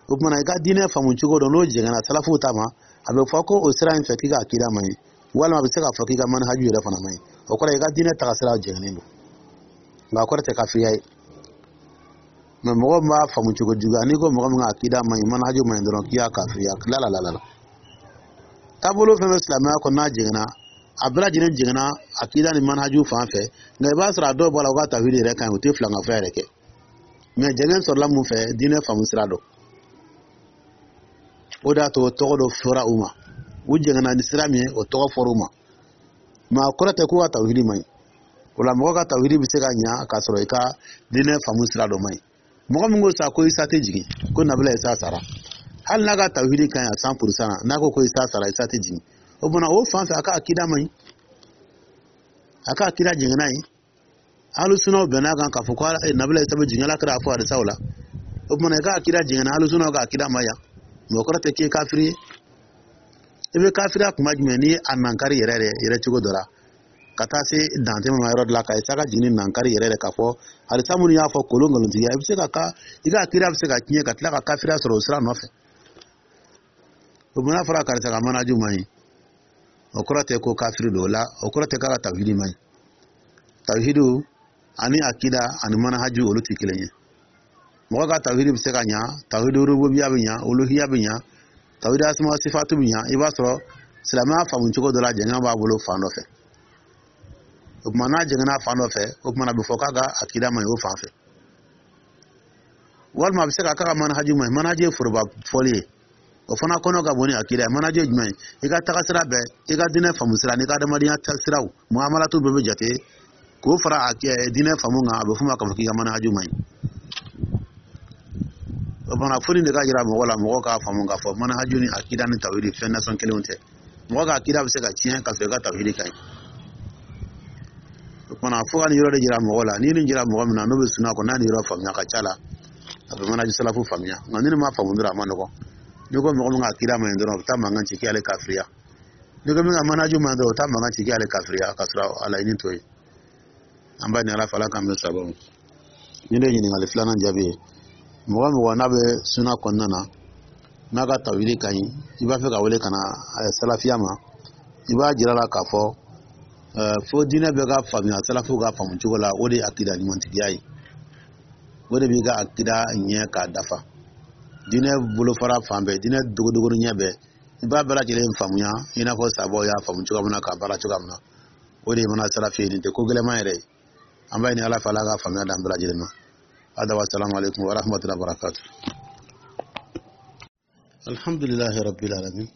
O tuma na, i ka diinɛ faamu cogo dɔ, n'o jɛngɛnna salafuw ta ma, a bɛ fɔ ko o sira in fɛ k'i ka akida man ɲi, walima a bɛ se k'a fɔ k'i ka manhaju yɛrɛ fana man ɲi. O kɔrɔ, i ka diinɛ tagasira jɛngɛnnen don, nka a kɔrɔ tɛ kafiriya ye. Mɛ mɔgɔ min b'a faamu cogo juguya, n'i ko mɔgɔ min ka akida man ɲi, manhaju man ɲi dɔrɔn, k'i y'a kafiriya, la la la la la. Taabolo fɛn fɛn silamɛya kɔnɔ, n'a jɛngɛnna, a bɛɛ lajɛlen jɛngɛnna akida ni manhaju fan fɛ. Nka i b'a sɔrɔ a dɔw b'a la, u ka tawhidi yɛrɛ ka ɲi, u tɛ filankafoya yɛrɛ kɛ. Mɛ jɛngɛn sɔrɔla mun fɛ? Diinɛ faamu sira dɔ. O de y'a to tɔgɔ dɔ fɔra u ma. U jɛngɛnna ni sira min ye, o tɔgɔ fɔra u ma. Mɛ a kɔrɔ tɛ k'u ka tawhidi man ɲi. O la, mɔgɔ ka tawhidi bɛ se ka ɲa k'a sɔrɔ i ka diinɛ faamu sira dɔ man ɲi. Mɔgɔ min ko sa ko Isa tɛ jigin, ko Nabila Isa sara, hali n'a ka tawhidi ka ɲi a 100% na, n'a ko ko Isa sara, Isa tɛ jigin, o tuma o fan fɛ, a ka akida man ɲi, a ka akida jɛngɛnna ye. Alusunaw bɛn'a kan k'a fɔ ko Nabila Isa bɛ jigin, Ala kɛra a fɔ hadisaw la. O tuma, i ka akida jɛngɛnna alusunaw ka akida ma yan, mɛ o kɔrɔ tɛ k'i ye kafiri ye. I bɛ kafiriya kuma jumɛn? Ni a nankari yɛrɛ yɛrɛ yɛrɛ cogo dɔ la, ka taa se dantɛmɛ ma yɔrɔ dɔ la, ka Isa ka jigin nankari yɛrɛ yɛrɛ, k'a fɔ hadisa minnu y'a fɔ kolon nkalontigiya, i bɛ se ka i ka akida bɛ se ka tiɲɛ, ka tila ka kafiriya sɔrɔ o sira nɔfɛ. O n'a fɔra karisa ka manaju man ɲi, o kɔrɔ tɛ ko kafiri don. O la, o kɔrɔ tɛ k'a ka tawhidi man ɲi. Tawhidu ani akida ani manahaju, olu tɛ kelen ye. Mɔgɔ ka tawhidi bɛ se ka ɲa, tawhidi rububiya bɛ ɲa, uluhiya bɛ ɲa, tawhidi asma sifatu bɛ ɲa. I b'a sɔrɔ silamɛya faamu cogo dɔ la, jɛngɛ b'a bolo fan dɔ fɛ. O tuma, n'a jɛngɛnna fan dɔ fɛ, o tuma, a bɛ fɔ k'a ka akida man ɲi o fan fɛ, walima a bɛ se ka k'a ka manhaji man ɲi. Manhaji ye foroba fɔli ye, o fana kɔnɔ ka bon ni akida ye. Manhaji ye jumɛn ye? I ka taga sira bɛɛ, i ka diinɛ faamu sira n'i ka adamadenya siraw, muamalatu bɛɛ bɛ jate k'o fara a diinɛ faamu kan. A bɛ f'o ma k'a fɔ k'i ka manhaji man ɲi. O fana, fo nin de ka jira mɔgɔ la, mɔgɔ k'a faamu k'a fɔ manhaju ni akida ni tawhidi fɛn nasɔn kelenw tɛ. Mɔgɔ ka akida bɛ se ka tiɲɛ ka sɔrɔ i ka tawhidi ka ɲi. O kumana, fo ka nin yɔrɔ de jira mɔgɔ la. N'i nin jira mɔgɔ min na, n'o bɛ suna kɔ, n'a nin yɔrɔ faamuya, ka ca la a bɛ manhaji salafu faamuya. Nka ni nin ma faamu dɔrɔn, a ma nɔgɔn. N'i ko mɔgɔ min ka akida man ɲi dɔrɔn, o bɛ taa mankan ci k'ale kafiriya. N'i ko min ka manhaju man ɲi dɔrɔn, o bɛ taa mankan ci k'ale kafiriya, ka sɔrɔ a laɲini t'o ye. An b'a ɲini Ala fɛ, Ala k'an bɛn sababu ma. Nin de ye ɲininkali filanan jaabi ye. Mɔgɔ mɔgɔ n'a bɛ suna kɔnɔna na, n'a ka tawhidi ka ɲi, i b'a fɛ ka wele ka na salafiya ma, i b'a jira la k'a fɔ fo diinɛ bɛɛ ka faamuya salafuw ka faamu cogo la. O de ye akida ɲumantigiya ye, o de b'i ka akida ɲɛ k'a dafa. Diinɛ bolofara fan bɛɛ, diinɛ dogodogo ɲɛ bɛɛ, i b'a bɛɛ lajɛlen faamuya i n'a fɔ sabaw y'a faamu cogoya min na, k'a baara cogoya min na. O de ye mana salafi ye. Nin tɛ ko gɛlɛman yɛrɛ ye. An b'a ɲini Ala fɛ, Ala ka faamuya d'an bɛɛ lajɛlen ma. Hada wa salamu alaikum wa rahmatullahi wa barakatuh. Alhamdulillahi rabbil alamin,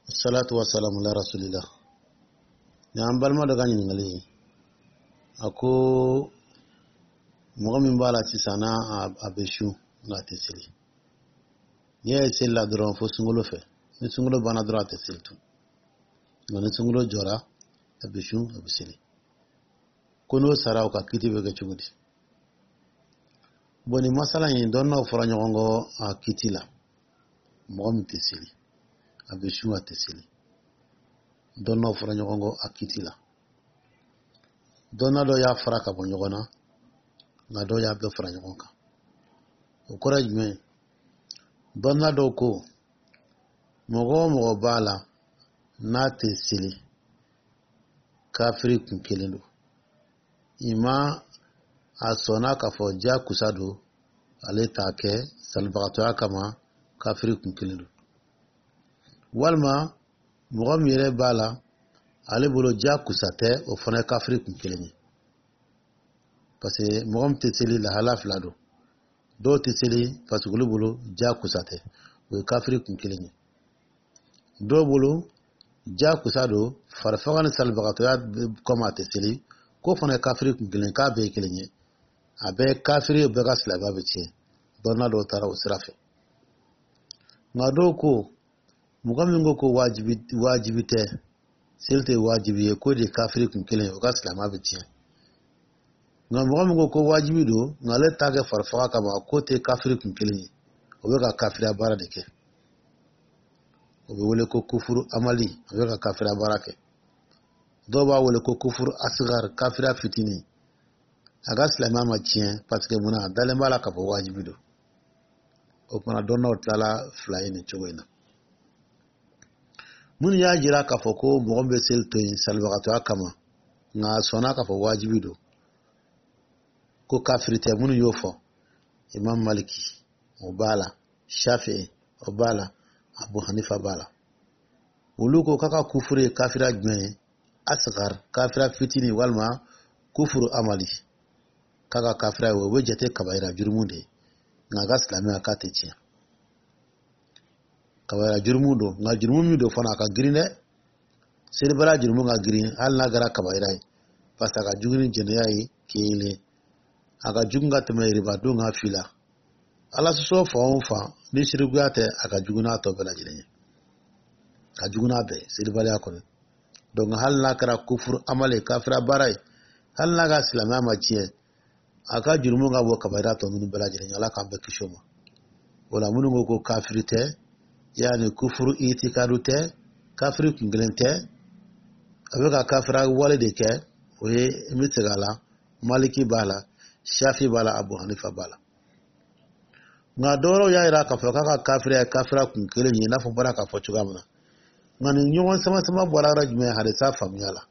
salatu wa salamu ala rasulillah. Nin an balima dɔ ka ɲininkali ye. A ko mɔgɔ min b'a la sisan, n'a a bɛ sun nka a tɛ seli, n'i y'a ye seli la dɔrɔn fo sunkalo fɛ, ni sunkalo banna dɔrɔn a tɛ seli tun, nka ni sunkalo jɔra, a bɛ sun, a bɛ seli. Ko n'o sara, o ka kiti bɛ kɛ cogo di? Bon, nin masala in, dɔnniyaw fɔra ɲɔgɔn kɔ a kiti la. Mɔgɔ min tɛ seli, a bɛ sun, a tɛ seli, dɔnniyaw fɔra ɲɔgɔn kɔ a kiti la. Dɔnniya dɔ y'a fara ka bɔ ɲɔgɔn na, nka dɔw y'a bɛɛ fara ɲɔgɔn kan. O kɔrɔ ye jumɛn ye? Dɔnniya dɔw ko mɔgɔ o mɔgɔ b'a la n'a tɛ seli, kafiri kun kelen don. Ima a sɔnna k'a fɔ jakusa don, ale t'a kɛ salibagatɔya kama, kafiri kun kelen don. Walima mɔgɔ min yɛrɛ b'a la, ale bolo jakusa tɛ, o fana ye kafiri kun kelen ye. Parce que mɔgɔ min tɛ seli, lahala fila don. Dɔw tɛ seli parce que olu bolo jakusa tɛ, o ye kafiri kun kelen ye. Dɔw bolo jakusa don, farifaga ni salibagatɔya kama a tɛ seli, k'o fana ye kafiri kun kelen, k'a bɛɛ ye kelen ye, a bɛɛ ye kafiri ye, bɛɛ ka silamɛya bɛ tiɲɛ. Dɔnna dɔw taara o sira fɛ. Nka dɔw ko mɔgɔ min ko ko wajibi, wajibi tɛ, seli tɛ wajibi ye, k'o de ye kafiri kun kelen ye, o ka silamɛya bɛ tiɲɛ. Nka mɔgɔ min ko ko wajibi don, nka ale t'a kɛ farifaga kama, k'o tɛ kafiri kun kelen ye, o bɛ ka kafiriya baara de kɛ. O bɛ wele ko kufuru amali, a bɛ ka kafiriya baara kɛ. Dɔw b'a wele ko kufuru asigar, kafiriya fitinin. A ka silamɛya ma tiɲɛ, parce que munna? A dalen b'a la k'a fɔ wajibi don. O kumana, dɔnnaw tilala fila ye nin cogo in na. Minnu y'a jira k'a fɔ ko mɔgɔ min bɛ seli to yen salibagatɔya kama, nka a sɔnna k'a fɔ wajibi don, ko kafiri tɛ, minnu y'o fɔ, Imam Maliki o b'a la, Shafi'i o b'a la, Abu Hanifa b'a la. Olu ko k'a ka kufuru ye kafiriya jumɛn ye? Asgar, kafiriya fitinin, walima kufuru amali. K'a ka kafiriya ye o bɛ jate kabayira jurumu de ye, nka a ka silamɛya k'a tɛ tiɲɛ. Kabayira jurumu don, nka jurumu min don fana, a ka girin dɛ. Selibaliya jurumu ka girin hali n'a kɛra kabayira ye, parce que a ka jugu ni jɛnɛya ye kelen, a ka jugu ka tɛmɛ riba don kan fila. Ala sɔsɔ fan o fan, ni sirikuya tɛ, a ka jugu n'a tɔ bɛɛ lajɛlen ye, ka jugu n'a bɛɛ ye selibaliya kɔni. Donc hali n'a kɛra kufuru amali, kafira baara ye, hali n'a ka silamɛya ma tiɲɛ, a ka jurumu ka bɔ kabayira tɔ ninnu bɛɛ lajɛlen ye. Ala k'an bɛɛ kisi o ma. O la, minnu ko ko kafiri tɛ, yaani kufuru itikadu tɛ, kafiri kun kelen tɛ, a bɛ ka kafira wale de kɛ, o ye n bɛ segin a la, Maliki b'a la, Shafi b'a la, Abu Hanifa b'a la. Nka dɔwɛrɛw y'a jira k'a fɔ k'a ka kafiriya ye kafira kun kelen ye, i n'a fɔ n bɔra k'a fɔ cogoya min na. Nka nin ɲɔgɔn sama sama bɔra yɔrɔ jumɛn? Hadisa faamuya la.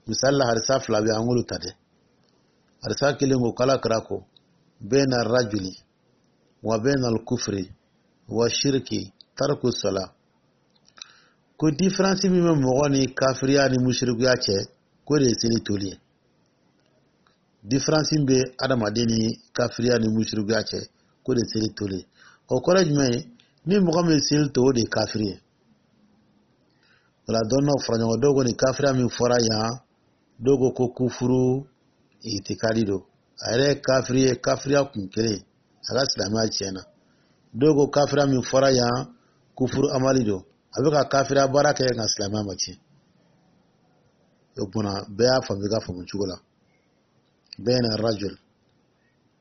Misali la, hadisa fila bɛ, an k'olu ta dɛ. Hadisa kelen ko k'Ala kira ko Bayna rajuli wa bayna al-kufri wa shirki tarku sala. Ko différence min bɛ mɔgɔ ni kafiriya ni musirikuya cɛ, k'o de ye seli toli ye. Différence min bɛ adamaden ni kafiriya ni musirikuya cɛ, k'o de ye seli toli ye. O kɔrɔ ye jumɛn ye? Ni mɔgɔ min ye seli to, o de ye kafiri ye. O la, dɔnniyaw fara ɲɔgɔn. Dɔw ko nin kafiriya min fɔra yan, dɔw ko ko kufuru itikadi don, a yɛrɛ ye kafiri ye, kafiriya kun kelen, a ka silamɛya tiɲɛna. Dɔw ko kafiriya min fɔra yan, kufuru amali don, a bɛ ka kafiriya baara kɛ, nka silamɛya ma tiɲɛ. O kumana, bɛɛ y'a faamu i ka faamu cogo la. Bayna rajul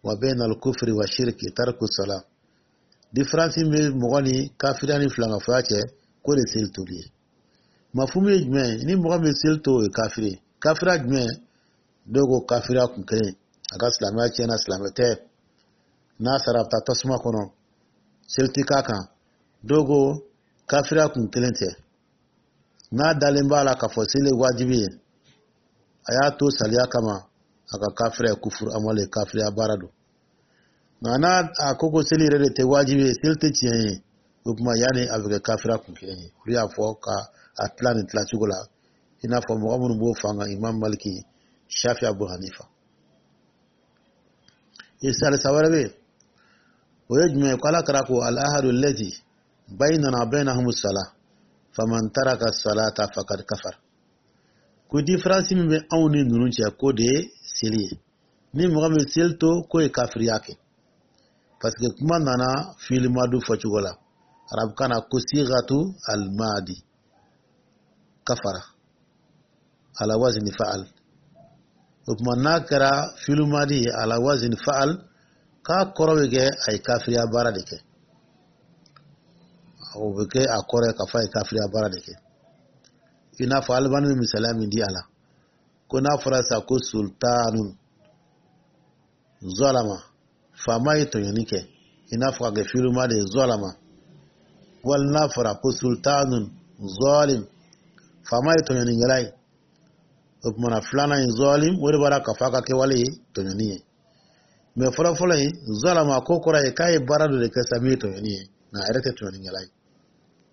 wa bayna al-kufri wa shirki tarku salat. Différence min bɛ mɔgɔ ni kafiriya ni filankafoya cɛ, k'o de seli toli ye. Mafumu ye jumɛn ye? Ni mɔgɔ min seli to, o ye kafiri ye. Kafiriya jumɛn? Dɔw ko kafiriya kun kelen, a ka silamɛya tiɲɛna, silamɛ tɛ, n'a sara, a bɛ taa tasuma kɔnɔ, seli ti k'a kan. Dɔw ko kafiriya kun kelen tɛ, n'a dalen b'a la k'a fɔ seli ye wajibi ye, a y'a to saliya kama, a ka kafiriya ye kufuru amali ye, kafiriya baara don. Nka n'a a ko ko seli yɛrɛ de tɛ wajibi ye, seli tɛ tiɲɛ ye, o tuma yanni a bɛ kɛ kafiriya kun kelen ye. Olu y'a fɔ ka a tila nin tila cogo la, i n'a fɔ mɔgɔ minnu b'o fan kan, Imam Maliki, Shafi, Abu Hanifa. Hadisa wɛrɛ bɛ yen, o ye jumɛn ye? Ko Ala kira ko: al ahadu allazi baynana baynahum salah, faman taraka salata faqad kafar. Ko différence min bɛ anw ni ninnu cɛ, k'o de ye seli ye. Ni mɔgɔ min seli to, k'o ye kafiriya kɛ, parce que kuma nana fiili madu fɔcogo la arabukan na, ko sigatu almadi, kafara ala wazni fa'al. O tuma, n'a kɛra fiilu madi ye ala wazni fa'al, k'a kɔrɔ bɛ kɛ a ye kafiriya baara de kɛ. O bɛ kɛ a kɔrɔ ye k'a fɔ a ye kafiriya baara de kɛ. I n'a fɔ Alibani bɛ misaliya min di a la, ko n'a fɔra sisan ko sultanun zalama, faama ye tɔɲɔni kɛ, i n'a fɔ ka kɛ fiiluma de ye zalama, wali n'a fɔra ko sultanun zalim, faama ye tɔɲɔnikɛla ye. O tuma na, filanan in zalim, o de b'a la k'a fɔ a ka kɛwale ye tɔɲɔni ye. Mɛ fɔlɔfɔlɔ in zalama, ko kɔrɔ ye k'a ye baara dɔ de kɛ sa min ye tɔɲɔni ye, nka a yɛrɛ tɛ tɔɲɔnikɛla ye,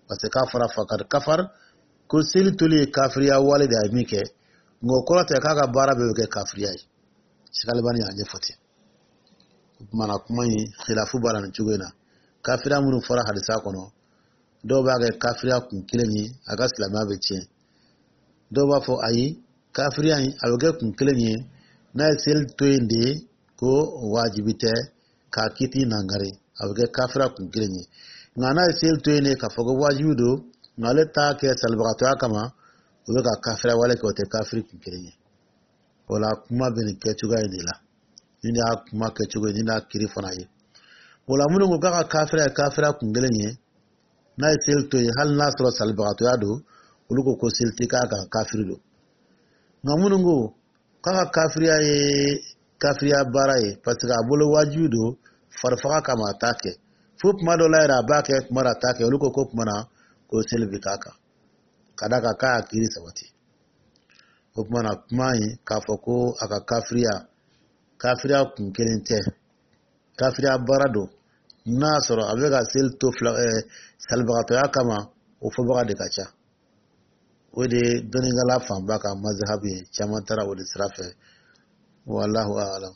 parce que k'a fɔra fakad kafar, ko seli toli ye kafiriya wale de, a ye min kɛ, nka o kɔrɔ tɛ k'a ka baara bɛɛ bɛ kɛ kafiriya ye. Sikalibani y'a ɲɛfɔ ten. O tuma na, kuma in khilafu b'a la nin cogo in na. Kafiriya minnu fɔra hadisa kɔnɔ, dɔw b'a kɛ kafiriya kun kelen ye, a ka silamɛya bɛ tiɲɛ. Dɔw b'a fɔ ayi, kafiriya in a bɛ kɛ kun kelen ye, n'a ye seli to yen de, ko wajibi tɛ k'a kiti nangari, a bɛ kɛ kafiriya kun kelen ye. Nka n'a ye seli to yen de k'a fɔ ko wajibi don, nka ale t'a kɛ salibagatɔya kama, o bɛ ka kafiriya wale kɛ, o tɛ kafiri kun kelen ye. O la, kuma bɛ nin kɛcogoya in de la. Nin de y'a kuma kɛcogo ye, nin de y'a kiri fana ye. O la, minnu ko k'a ka kafiriya ye kafiriya kun kelen ye, n'a ye seli to yen, hali n'a sɔrɔ salibagatɔya don, olu ko ko seli tɛ k'a kan, kafiri don. Nka minnu ko k'a ka kafiriya ye kafiriya baara ye, parce que a bolo wajibi don, farifaga kama a t'a kɛ, fo kuma dɔ la yɛrɛ a b'a kɛ, kuma dɔ a t'a kɛ, olu ko ko kuma na ko seli bɛ k'a kan, ka d'a kan k'a y'a kiiri sabati. O tuma na, kuma in k'a fɔ ko a ka kafiriya kafiriya kun kelen tɛ, kafiriya baara don, n'a y'a sɔrɔ a bɛ ka seli to fila salibagatɔya kama, o fɔbaga de ka ca. O de ye dɔnnikɛla fanba ka mazahabu ye, caman taara o de sira fɛ. Wallahu a'lam.